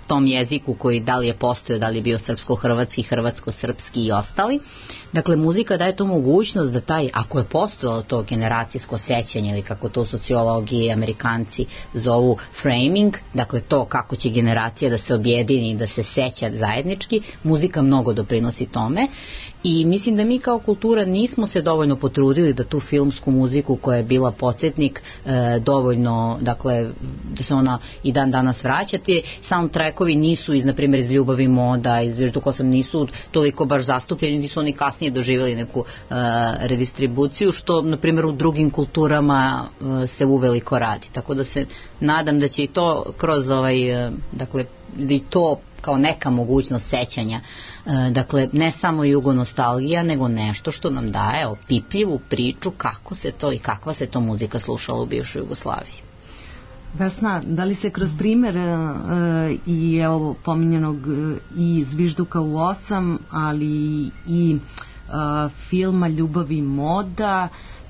tom jeziku koji da li je postojao, da li je bio srpsko-hrvatski, hrvatsko-srpski i ostali. Dakle, muzika daje tu mogućnost da taj, ako je postojalo to generacijsko sećanje, ili kako to u sociologiji Amerikanci zovu framing, dakle to kako će generacija da se objedini i da se seća zajednički, muzika mnogo doprinosi tome. I mislim da mi kao kultura nismo se dovoljno potrudili da tu filmsku muziku koja je bila podsjetnik e, dovoljno, dakle, da se ona i dan danas vraća. Ti soundtrackovi nisu iz, na primjer, iz Ljubav i moda, iz Zvižduk osam nisu toliko baš zastupljeni, nisu oni kasnije doživjeli neku e, redistribuciju, što, na primjer, u drugim kulturama e, se uveliko radi. Tako da se nadam da će i to kroz ovaj, e, dakle, i to kao neka mogućnost sećanja, e, dakle, ne samo jugonostalgija, nego nešto što nam daje opipljivu priču kako se to i kakva se to muzika slušala u bivšoj Jugoslaviji. Vesna, da li se kroz primer e, i evo pominjenog i Zvižduka u osam, ali i e, filma Ljubav i moda,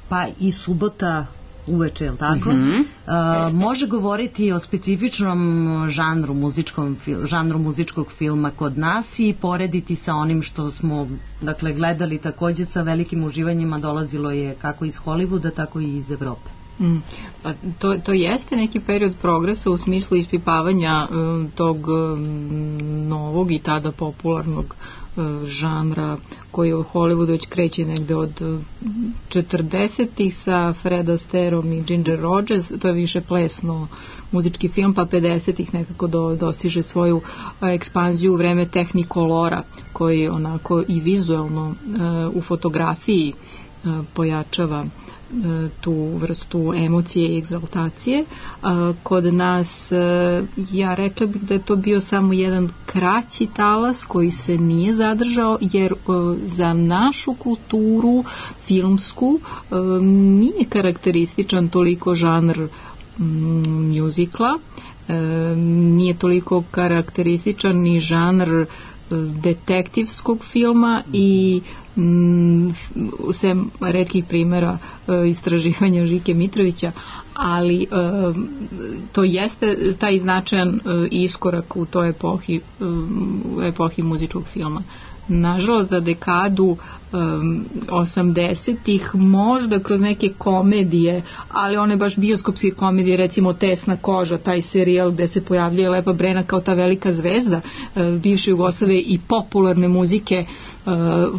pa i Subota uveče, je li tako? Mm-hmm. Uh, može govoriti o specifičnom žanru, muzičkom, žanru muzičkog filma kod nas i porediti sa onim što smo, dakle, gledali takođe sa velikim uživanjima, dolazilo je kako iz Hollywooda, tako i iz Evrope. Mm, pa to, to jeste neki period progresa u smislu ispipavanja um, tog um, novog i tada popularnog uh, žanra koji u Hollywoodu već kreće negde od četrdesetih sa Fred Astaireom i Ginger Rogers, to je više plesno muzički film, pa pedesetih nekako do, dostiže svoju uh, ekspanziju u vreme Technicolora, koji onako i vizualno uh, u fotografiji uh, pojačava tu vrstu emocije i egzaltacije. Kod nas, ja rekla bih da je to bio samo jedan kraći talas koji se nije zadržao, jer za našu kulturu filmsku nije karakterističan toliko žanr mjuzikla, nije toliko karakterističan ni žanr detektivskog filma i mm, sem retkih primjera e, istraživanja Žike Mitrovića, ali e, to jeste taj značajan e, iskorak u toj epohi, e, epohi muzičkog filma. Nažalost, za dekadu um, osamdesetih možda kroz neke komedije, ali one baš bioskopske komedije, recimo Tesna koža, taj serijal gde se pojavljuje Lepa Brena kao ta velika zvezda uh, bivše Jugoslavije i popularne muzike, uh,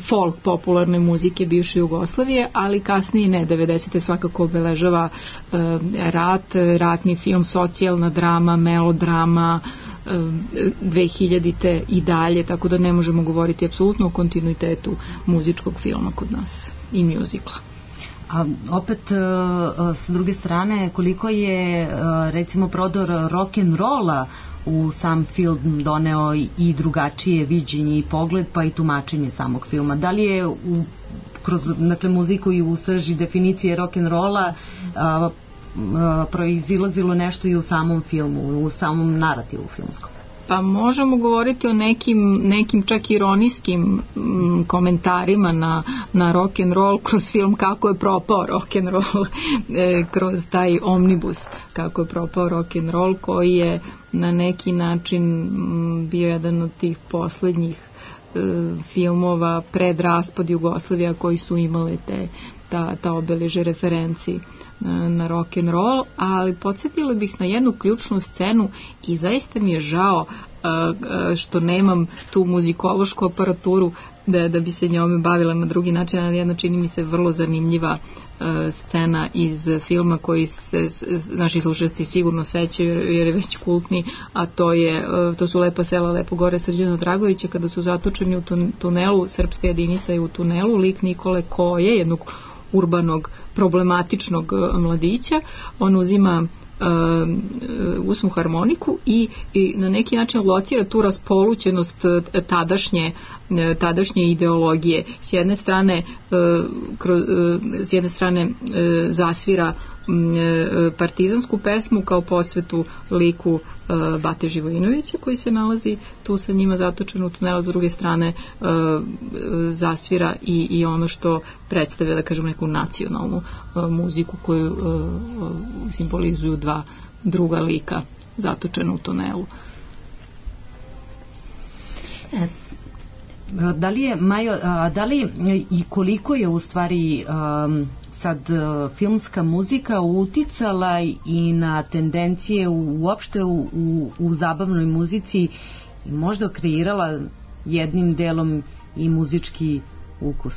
folk popularne muzike bivše Jugoslavije, ali kasnije ne, devedesete svakako obeležava uh, rat, ratni film, socijalna drama, melodrama, dve hiljadite i dalje, tako da ne možemo govoriti apsolutno o kontinuitetu muzičkog filma kod nas i mjuzikla. A opet s druge strane, koliko je recimo prodor rock'n'rolla u sam film doneo i drugačije viđenje i pogled, pa i tumačenje samog filma. Da li je u, kroz dakle, muziku i u srži definicije rock'n'rolla proizilazilo nešto i u samom filmu, u samom narativu filmskom? Pa možemo govoriti o nekim, nekim čak ironijskim m, komentarima na, na rock and roll kroz film Kako je propao rock and roll, e, kroz taj omnibus Kako je propao rock and roll, koji je na neki način m, bio jedan od tih poslednjih e, filmova pred raspad Jugoslavija koji su imale te ta, ta obeleže referenci na rock and roll, ali podsjetila bih na jednu ključnu scenu i zaista mi je žao uh, što nemam tu muzikološku aparaturu da, da bi se njome bavila na drugi način, ali jedna čini mi se vrlo zanimljiva uh, scena iz filma koji se naši slušalci sigurno sećaju jer je već kultni, a to je uh, to su Lepa sela, lepo gore Srđana Dragovića, kada su zatočeni u tunelu, srpska jedinica je u tunelu, lik Nikole Koje, jednog urbanog, problematičnog mladića, on uzima uh, usnu harmoniku i, i na neki način locira tu raspolućenost tadašnje, tadašnje ideologije. S jedne strane, uh, kroz, uh, s jedne strane uh, zasvira partizansku pesmu kao posvetu liku uh, Bate Živojinovića koji se nalazi tu sa njima zatočen u tunelu, s druge strane uh, zasvira i, i ono što predstavlja, da kažem, neku nacionalnu uh, muziku koju uh, simbolizuju dva druga lika zatočena u tunelu. Da li je, Majo, da li i koliko je u stvari um, sad filmska muzika uticala i na tendencije uopšte u, u, u zabavnoj muzici i možda kreirala jednim delom i muzički ukus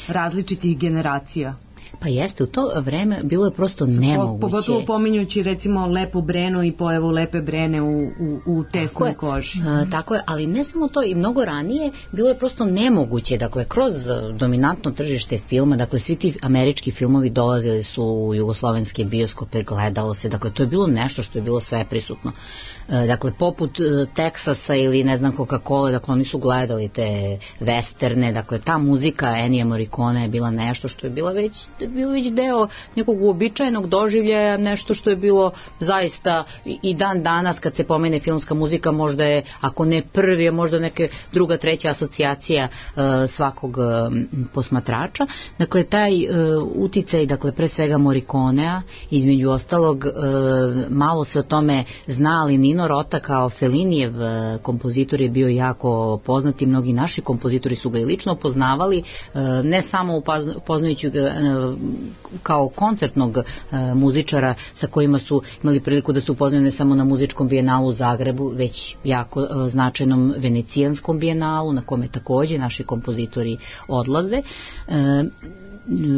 različitih generacija? Pa jeste, u to vreme bilo je prosto nemoguće. Pogotovo pominjući recimo Lepu Brenu i pojavu Lepe Brene u, u, u Tesnoj koži. A, tako je, ali ne samo to, i mnogo ranije bilo je prosto nemoguće, dakle, kroz dominantno tržište filma, dakle, svi ti američki filmovi dolazili su u jugoslovenske bioskope, gledalo se, dakle, to je bilo nešto što je bilo sve prisutno. E, dakle, poput Teksasa ili ne znam Coca-Cola, dakle, oni su gledali te westerne, dakle, ta muzika Ennija Morricone je bila nešto što je bila već bilo već deo nekog uobičajenog doživljaja, nešto što je bilo zaista i dan danas kad se pomene filmska muzika, možda je, ako ne prvi, možda neka druga, treća asocijacija uh, svakog uh, posmatrača. Dakle, taj uh, uticaj, dakle, pre svega Morriconea, između ostalog, uh, malo se o tome zna, ali Nino Rota kao Fellinijev uh, kompozitor je bio jako poznat i mnogi naši kompozitori su ga i lično poznavali, uh, ne samo upoznajući ga uh, kao koncertnog e, muzičara sa kojima su imali priliku da se upoznaju ne samo na muzičkom bijenalu u Zagrebu, već jako e, značajnom venecijanskom bijenalu na kome takođe naši kompozitori odlaze. E,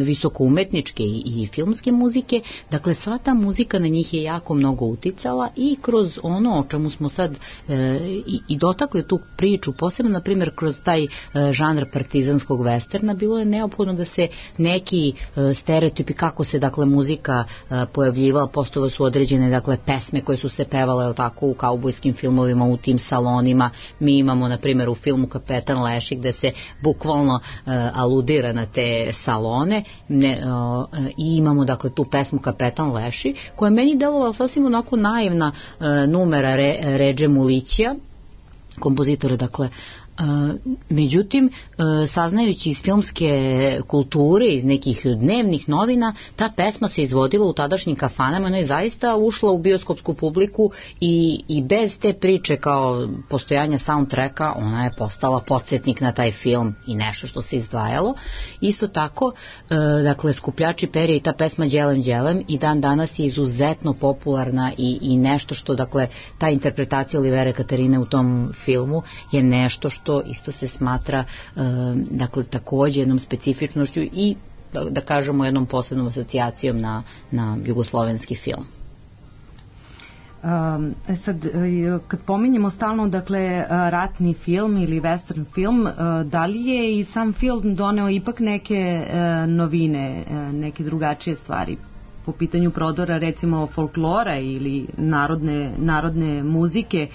visoko umetničke i, i filmske muzike, dakle sva ta muzika na njih je jako mnogo uticala i kroz ono o čemu smo sad e, i, i dotakli tu priču, posebno na primjer kroz taj e, žanr partizanskog westerna, bilo je neophodno da se neki e, stereotipi kako se dakle muzika e, pojavljivala, postojale su određene dakle pesme koje su se pevale tako u kaubojskim filmovima, u tim salonima. Mi imamo na primjer u filmu Kapetan Leši gde se bukvalno e, aludira na te salone ne, e, i imamo dakle tu pesmu Kapetan Leši koja je meni delovala sasvim onako naivna e, numera Re, Redže Mulićija, kompozitora dakle. Uh, međutim, uh, saznajući iz filmske kulture, iz nekih dnevnih novina, ta pesma se izvodila u tadašnjim kafanama, ona je zaista ušla u bioskopsku publiku i, i bez te priče kao postojanja soundtracka, ona je postala podsjetnik na taj film i nešto što se izdvajalo. Isto tako, uh, dakle, Skupljači perja i ta pesma Đelem Đelem i dan danas je izuzetno popularna i, i nešto što, dakle, ta interpretacija Olivere Katarine u tom filmu je nešto što to isto se smatra dakle takođe jednom specifičnošću i da, da kažemo jednom posebnom asocijacijom na, na jugoslovenski film. Um, sad, kad pominjemo stalno dakle ratni film ili western film, da li je i sam film doneo ipak neke novine, neke drugačije stvari po pitanju prodora recimo folklora ili narodne, narodne muzike?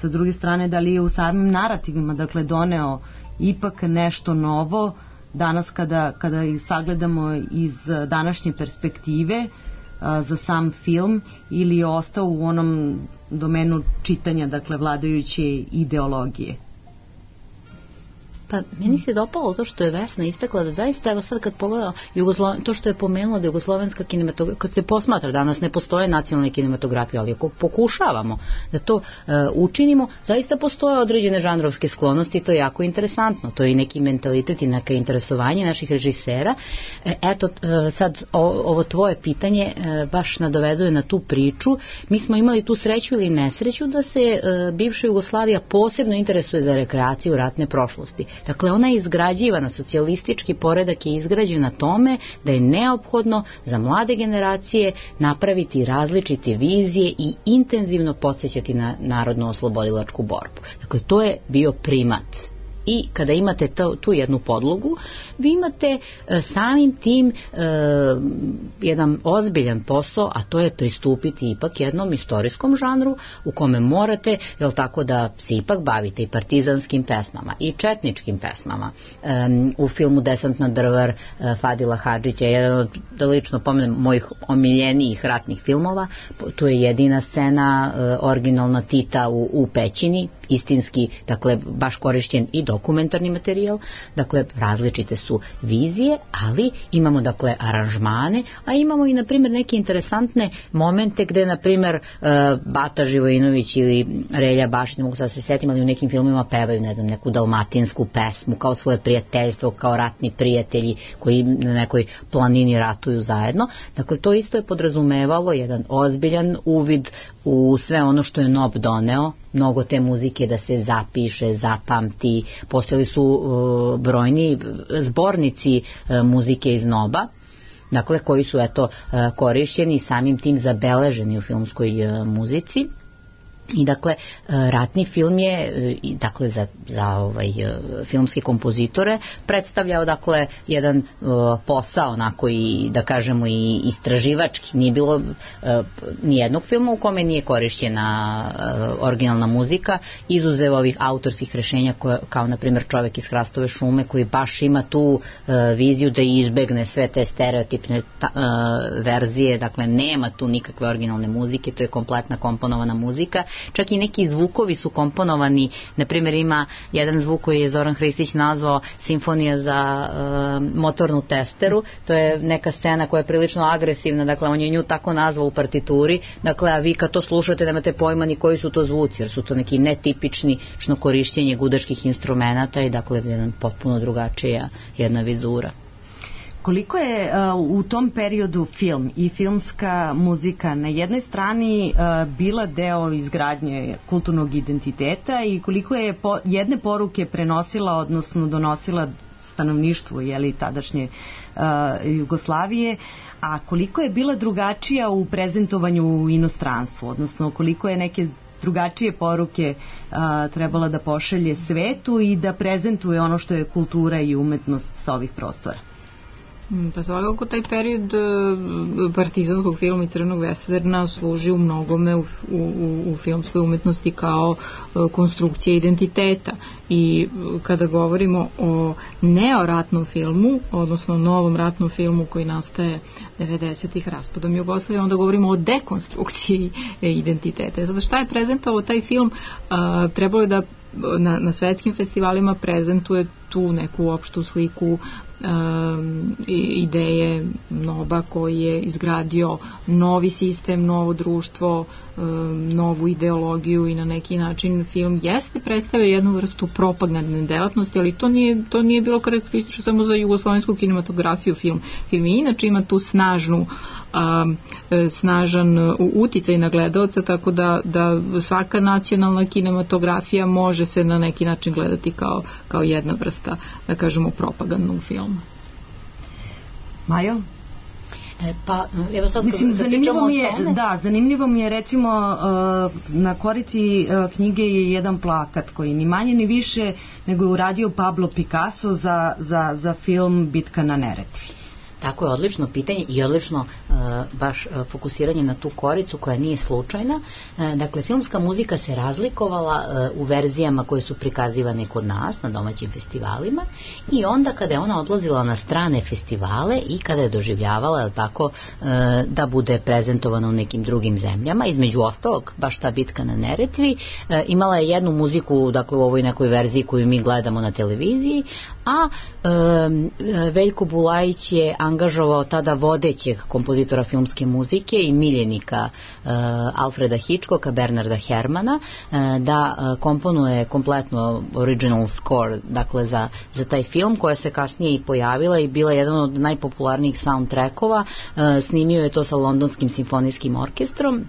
Sa druge strane, da li je u samim narativima dakle doneo ipak nešto novo danas kada, kada ih sagledamo iz današnje perspektive a, za sam film, ili je ostao u onom domenu čitanja dakle vladajuće ideologije? Pa meni se dopalo to što je Vesna istakla da zaista, evo sad kad pogledam Jugoslo... to što je pomenulo da jugoslovenska kinematografija, kad se posmatra danas ne postoje nacionalne kinematografije, ali ako pokušavamo da to e, učinimo, zaista postoje određene žanrovske sklonosti i to je jako interesantno, to je i neki mentalitet i neka interesovanje naših režisera. E, eto, e, sad o, ovo tvoje pitanje e, baš nadovezuje na tu priču. Mi smo imali tu sreću ili nesreću da se e, bivša Jugoslavija posebno interesuje za rekreaciju ratne prošlosti. Dakle, ona je izgrađivana, socijalistički poredak je izgrađen na tome da je neophodno za mlade generacije napraviti različite vizije i intenzivno podsjećati na narodno-oslobodilačku borbu. Dakle, to je bio primat. I kada imate to, tu jednu podlogu, vi imate e, samim tim e, jedan ozbiljan posao, a to je pristupiti ipak jednom istorijskom žanru u kome morate, jel tako, da se ipak bavite i partizanskim pesmama i četničkim pesmama. E, u filmu Desant na Drvar e, Fadila Hadžića je jedan od, da lično pomenem, mojih omiljenijih ratnih filmova. Tu je jedina scena e, originalna Tita u, u pećini, istinski, dakle, baš korišćen i dokumentarni materijal, dakle, različite su vizije, ali imamo, dakle, aranžmane, a imamo i, na primjer, neke interesantne momente gde, na primjer, Bata Živojinović ili Relja Bašić, ne mogu sad se setim, ali u nekim filmima pevaju, ne znam, neku dalmatinsku pesmu, kao svoje prijateljstvo, kao ratni prijatelji koji na nekoj planini ratuju zajedno. Dakle, to isto je podrazumevalo jedan ozbiljan uvid u sve ono što je N O B doneo, mnogo te muzike da se zapiše, zapamti. Postojali su uh, brojni zbornici uh, muzike iz N O B-a, dakle, koji su eto uh, korišćeni i samim tim zabeleženi u filmskoj uh, muzici. I dakle, ratni film je, dakle, za, za ovaj, filmske kompozitore predstavljao, dakle, jedan uh, posao, onako i, da kažemo, i istraživački. Nije bilo uh, nijednog filma u kome nije korišćena uh, originalna muzika, izuzev ovih autorskih rešenja koje, kao, na primjer, Čovek iz Hrastove šume, koji baš ima tu uh, viziju da izbegne sve te stereotipne ta, uh, verzije, dakle, nema tu nikakve originalne muzike, to je kompletna komponovana muzika. Čak i neki zvukovi su komponovani, na primjer ima jedan zvuk koji je Zoran Hristić nazvao Simfonija za uh, motornu testeru, to je neka scena koja je prilično agresivna, dakle on je nju tako nazvao u partituri, dakle a vi kad to slušate nemate pojma ni koji su to zvuci, jer su to neki netipični šno korišćenje gudačkih instrumenata i dakle jedan potpuno drugačija jedna vizura. Koliko je uh, u tom periodu film i filmska muzika na jednoj strani uh, bila deo izgradnje kulturnog identiteta i koliko je po, jedne poruke prenosila, odnosno donosila stanovništvu jeli, tadašnje uh, Jugoslavije, a koliko je bila drugačija u prezentovanju u inostranstvu, odnosno koliko je neke drugačije poruke a, trebala da pošalje svetu i da prezentuje ono što je kultura i umetnost sa ovih prostora. Pa svakako taj period partizanskog filma i crvenog westerna služi u mnogome u, u, u filmskoj umetnosti kao konstrukcija identiteta i kada govorimo o neoratnom filmu, odnosno novom ratnom filmu koji nastaje devedesetih raspadom Jugoslavije, onda govorimo o dekonstrukciji identiteta. Zato šta je prezentovao taj film, a, trebalo je da na, na svetskim festivalima prezentuje tu neku opštu sliku um, ideje Noba koji je izgradio novi sistem, novo društvo, um, novu ideologiju i na neki način film jeste predstavio jednu vrstu propagandne delatnosti, ali to nije, to nije bilo karakteristično samo za jugoslovensku kinematografiju film. Film i inače ima tu snažnu um, snažan uticaj na gledaoca, tako da, da svaka nacionalna kinematografija može se na neki način gledati kao, kao jedna vrsta, da kažemo, propagandnog filma. Majo? E, pa, evo sad Mislim, da zanimljivo mi je, tome. da, zanimljivo mi je recimo uh, na korici uh, knjige je jedan plakat koji ni manje ni više nego je uradio Pablo Picasso za, za, za film Bitka na Neretvi. Tako je, odlično pitanje i odlično uh, baš uh, fokusiranje na tu koricu koja nije slučajna. Uh, dakle, filmska muzika se razlikovala uh, u verzijama koje su prikazivane kod nas na domaćim festivalima i onda kada je ona odlazila na strane festivale i kada je doživljavala, jel tako, uh, da bude prezentovana u nekim drugim zemljama, između ostalog, baš ta Bitka na Neretvi, uh, imala je jednu muziku, dakle u ovoj nekoj verziji koju mi gledamo na televiziji, a um, Veljko Bulajić je angažovao tada vodećeg kompozitora filmske muzike i miljenika uh, Alfreda Hitchcocka, Bernarda Herrmana, uh, da uh, komponuje kompletno original score, dakle za, za taj film, koja se kasnije i pojavila i bila jedan od najpopularnijih soundtrackova. Uh, snimio je to sa Londonskim simfonijskim orkestrom.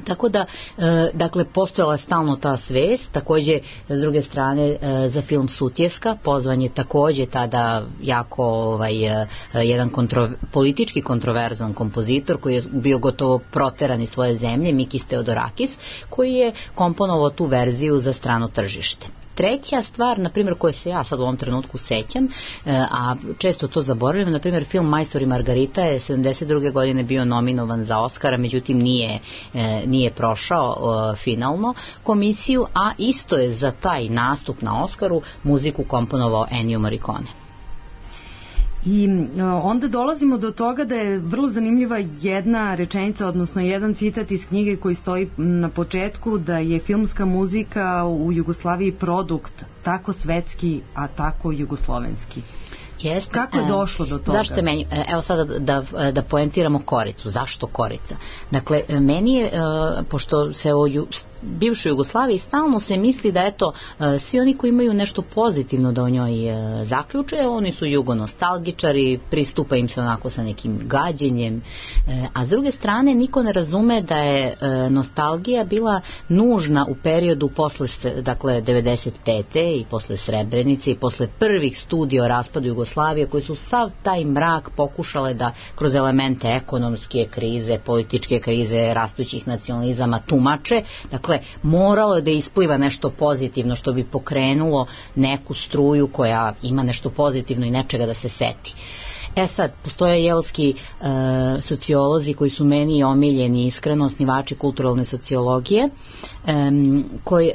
Tako da, e, dakle, postojala stalno ta svest, takođe, s druge strane, e, za film Sutjeska, pozvan je takođe tada jako ovaj, e, jedan kontro, politički kontroverzan kompozitor koji je bio gotovo proteran iz svoje zemlje, Mikis Theodorakis, koji je komponovao tu verziju za strano tržište. Treća stvar, na primjer, koje se ja sad u ovom trenutku sećam, a često to zaboravljam, na primjer, film Majstor i Margarita je sedamdeset druge godine bio nominovan za Oscara, međutim nije, nije prošao finalno komisiju, a isto je za taj nastup na Oskaru muziku komponovao Ennio Morricone. I onda dolazimo do toga da je vrlo zanimljiva jedna rečenica, odnosno jedan citat iz knjige koji stoji na početku, da je filmska muzika u Jugoslaviji produkt tako svetski, a tako jugoslovenski. Jeste. Kako je došlo do toga? Zašto je meni, evo sada da, da, da poentiramo koricu. Zašto korica? Dakle, meni je, pošto se o bivšoj Jugoslaviji stalno se misli da eto, svi oni koji imaju nešto pozitivno da o njoj zaključe, oni su jugonostalgičari, pristupa im se onako sa nekim gađenjem, a s druge strane niko ne razume da je nostalgija bila nužna u periodu posle, dakle, devedeset pete i posle Srebrenice i posle prvih studija o raspadu Jugoslavije, koji su sav taj mrak pokušale da kroz elemente ekonomske krize, političke krize, rastućih nacionalizama tumače. Dakle, moralo je da ispliva nešto pozitivno što bi pokrenulo neku struju koja ima nešto pozitivno i nečega da se seti. E sad, postoje jelski e, sociolozi koji su meni omiljeni, iskreno, osnivači kulturalne sociologije, e, koji, e,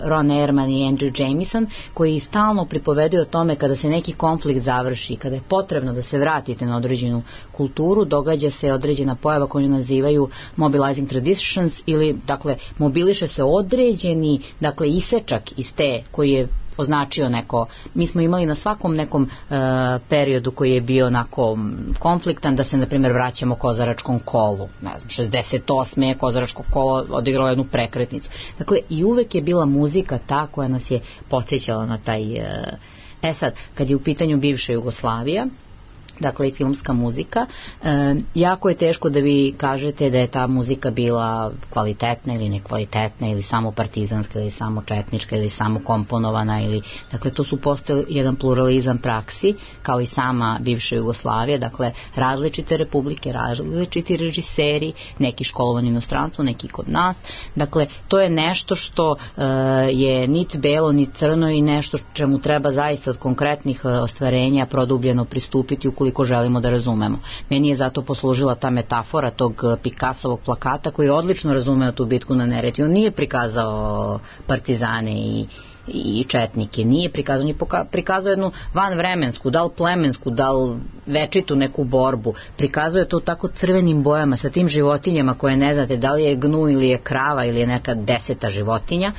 Ron Ehrman i Andrew Jameson, koji stalno pripoveduju o tome kada se neki konflikt završi, kada je potrebno da se vratite na određenu kulturu, događa se određena pojava koju nazivaju mobilizing traditions, ili, dakle, mobiliše se određeni, dakle, isečak iz te koji je označio neko, mi smo imali na svakom nekom e, periodu koji je bio onako konfliktan, da se na primjer vraćamo Kozaračkom kolu, ne znam, šezdeset osme je Kozaračko kolo odigralo jednu prekretnicu. Dakle, i uvek je bila muzika ta koja nas je podsjećala na taj... E, e sad, kad je u pitanju bivša Jugoslavija, dakle i filmska muzika. E, jako je teško da vi kažete da je ta muzika bila kvalitetna ili nekvalitetna ili samo partizanska ili samo četnička ili samo komponovana ili, dakle to su postojali jedan pluralizam praksi kao i sama bivša Jugoslavija, dakle različite republike, različiti režiseri, neki školovani u inostranstvu, neki kod nas, dakle to je nešto što e, je nit belo nit crno i nešto čemu treba zaista od konkretnih ostvarenja produbljeno pristupiti ukoliko ko želimo da razumemo. Meni je zato poslužila ta metafora tog Picassovog plakata koji je odlično razumeo tu bitku na Neretvi. On nije prikazao partizane i i četnike, nije prikazao, nije prikazao jednu vanvremensku, da li plemensku, da li večitu neku borbu, prikazao je to tako crvenim bojama sa tim životinjama koje ne znate da li je gnu ili je krava ili je neka deseta životinja,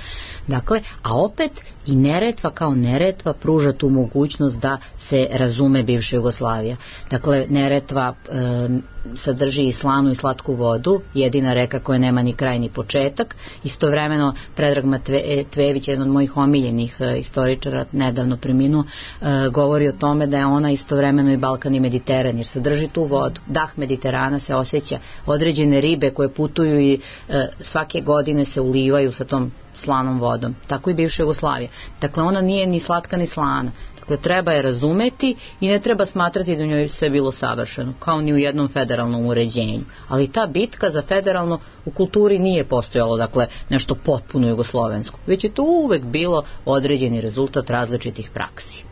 dakle, a opet i Neretva kao Neretva pruža tu mogućnost da se razume bivša Jugoslavija. Dakle, Neretva e, sadrži i slanu i slatku vodu, jedina reka koja nema ni kraj ni početak. Istovremeno Predrag Matvejević, jedan od mojih omiljenih e, istoričara, nedavno preminuo, e, govori o tome da je ona istovremeno i Balkan i Mediteran, jer sadrži tu vodu. Dah Mediterana se osjeća, određene ribe koje putuju i e, svake godine se ulivaju sa tom slanom vodom. Tako i bivša Jugoslavija. Dakle, ona nije ni slatka ni slana. Dakle, treba je razumeti i ne treba smatrati da u njoj sve bilo savršeno, kao ni u jednom federalnom uređenju. Ali ta bitka za federalno u kulturi nije postojalo, dakle, nešto potpuno jugoslovensko, već je to uvek bilo određeni rezultat različitih praksi.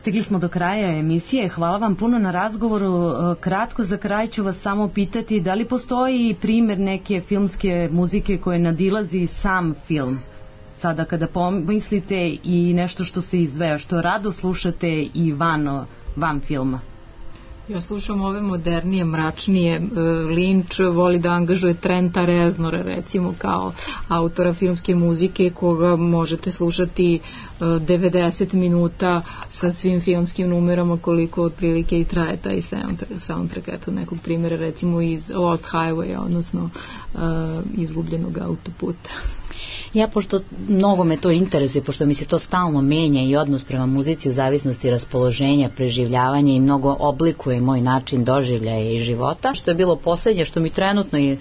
Stigli smo do kraja emisije. Hvala vam puno na razgovoru. Kratko za kraj ću vas samo pitati da li postoji primjer neke filmske muzike koje nadilazi sam film? Sada kada pomislite i nešto što se izdvaja, što rado slušate i van, van filma. Ja slušam ove modernije, mračnije. Lynch voli da angažuje Trenta Reznora, recimo, kao autora filmske muzike, koga možete slušati devedeset minuta sa svim filmskim numerama, koliko otprilike i traje taj soundtrack. Eto nekog primjera, recimo iz Lost Highway, odnosno uh, izgubljenog autoputa. Ja, pošto mnogo me to interesuje, pošto mi se to stalno menja i odnos prema muzici u zavisnosti raspoloženja, preživljavanja i mnogo oblikuje moj način doživljaja i života. Što je bilo posljednje, što mi trenutno i e,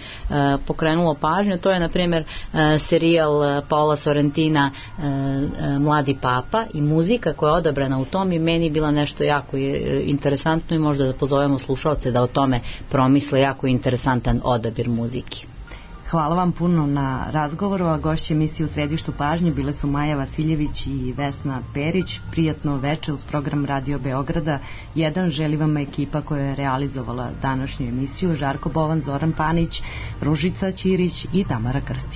pokrenulo pažnju, to je na primjer e, serijal Paola Sorrentina e, e, Mladi papa i muzika koja je odabrana u tom i meni bila nešto jako interesantno i možda da pozovemo slušalce da o tome promisle, jako interesantan odabir muzike. Hvala vam puno na razgovoru, a gošće emisije U središtu pažnje bile su Maja Vasiljević i Vesna Perić. Prijatno veče uz program Radio Beograda. Jedan želi vam ekipa koja je realizovala današnju emisiju: Žarko Bovan, Zoran Panić, Ružica Ćirić i Tamara Krstić.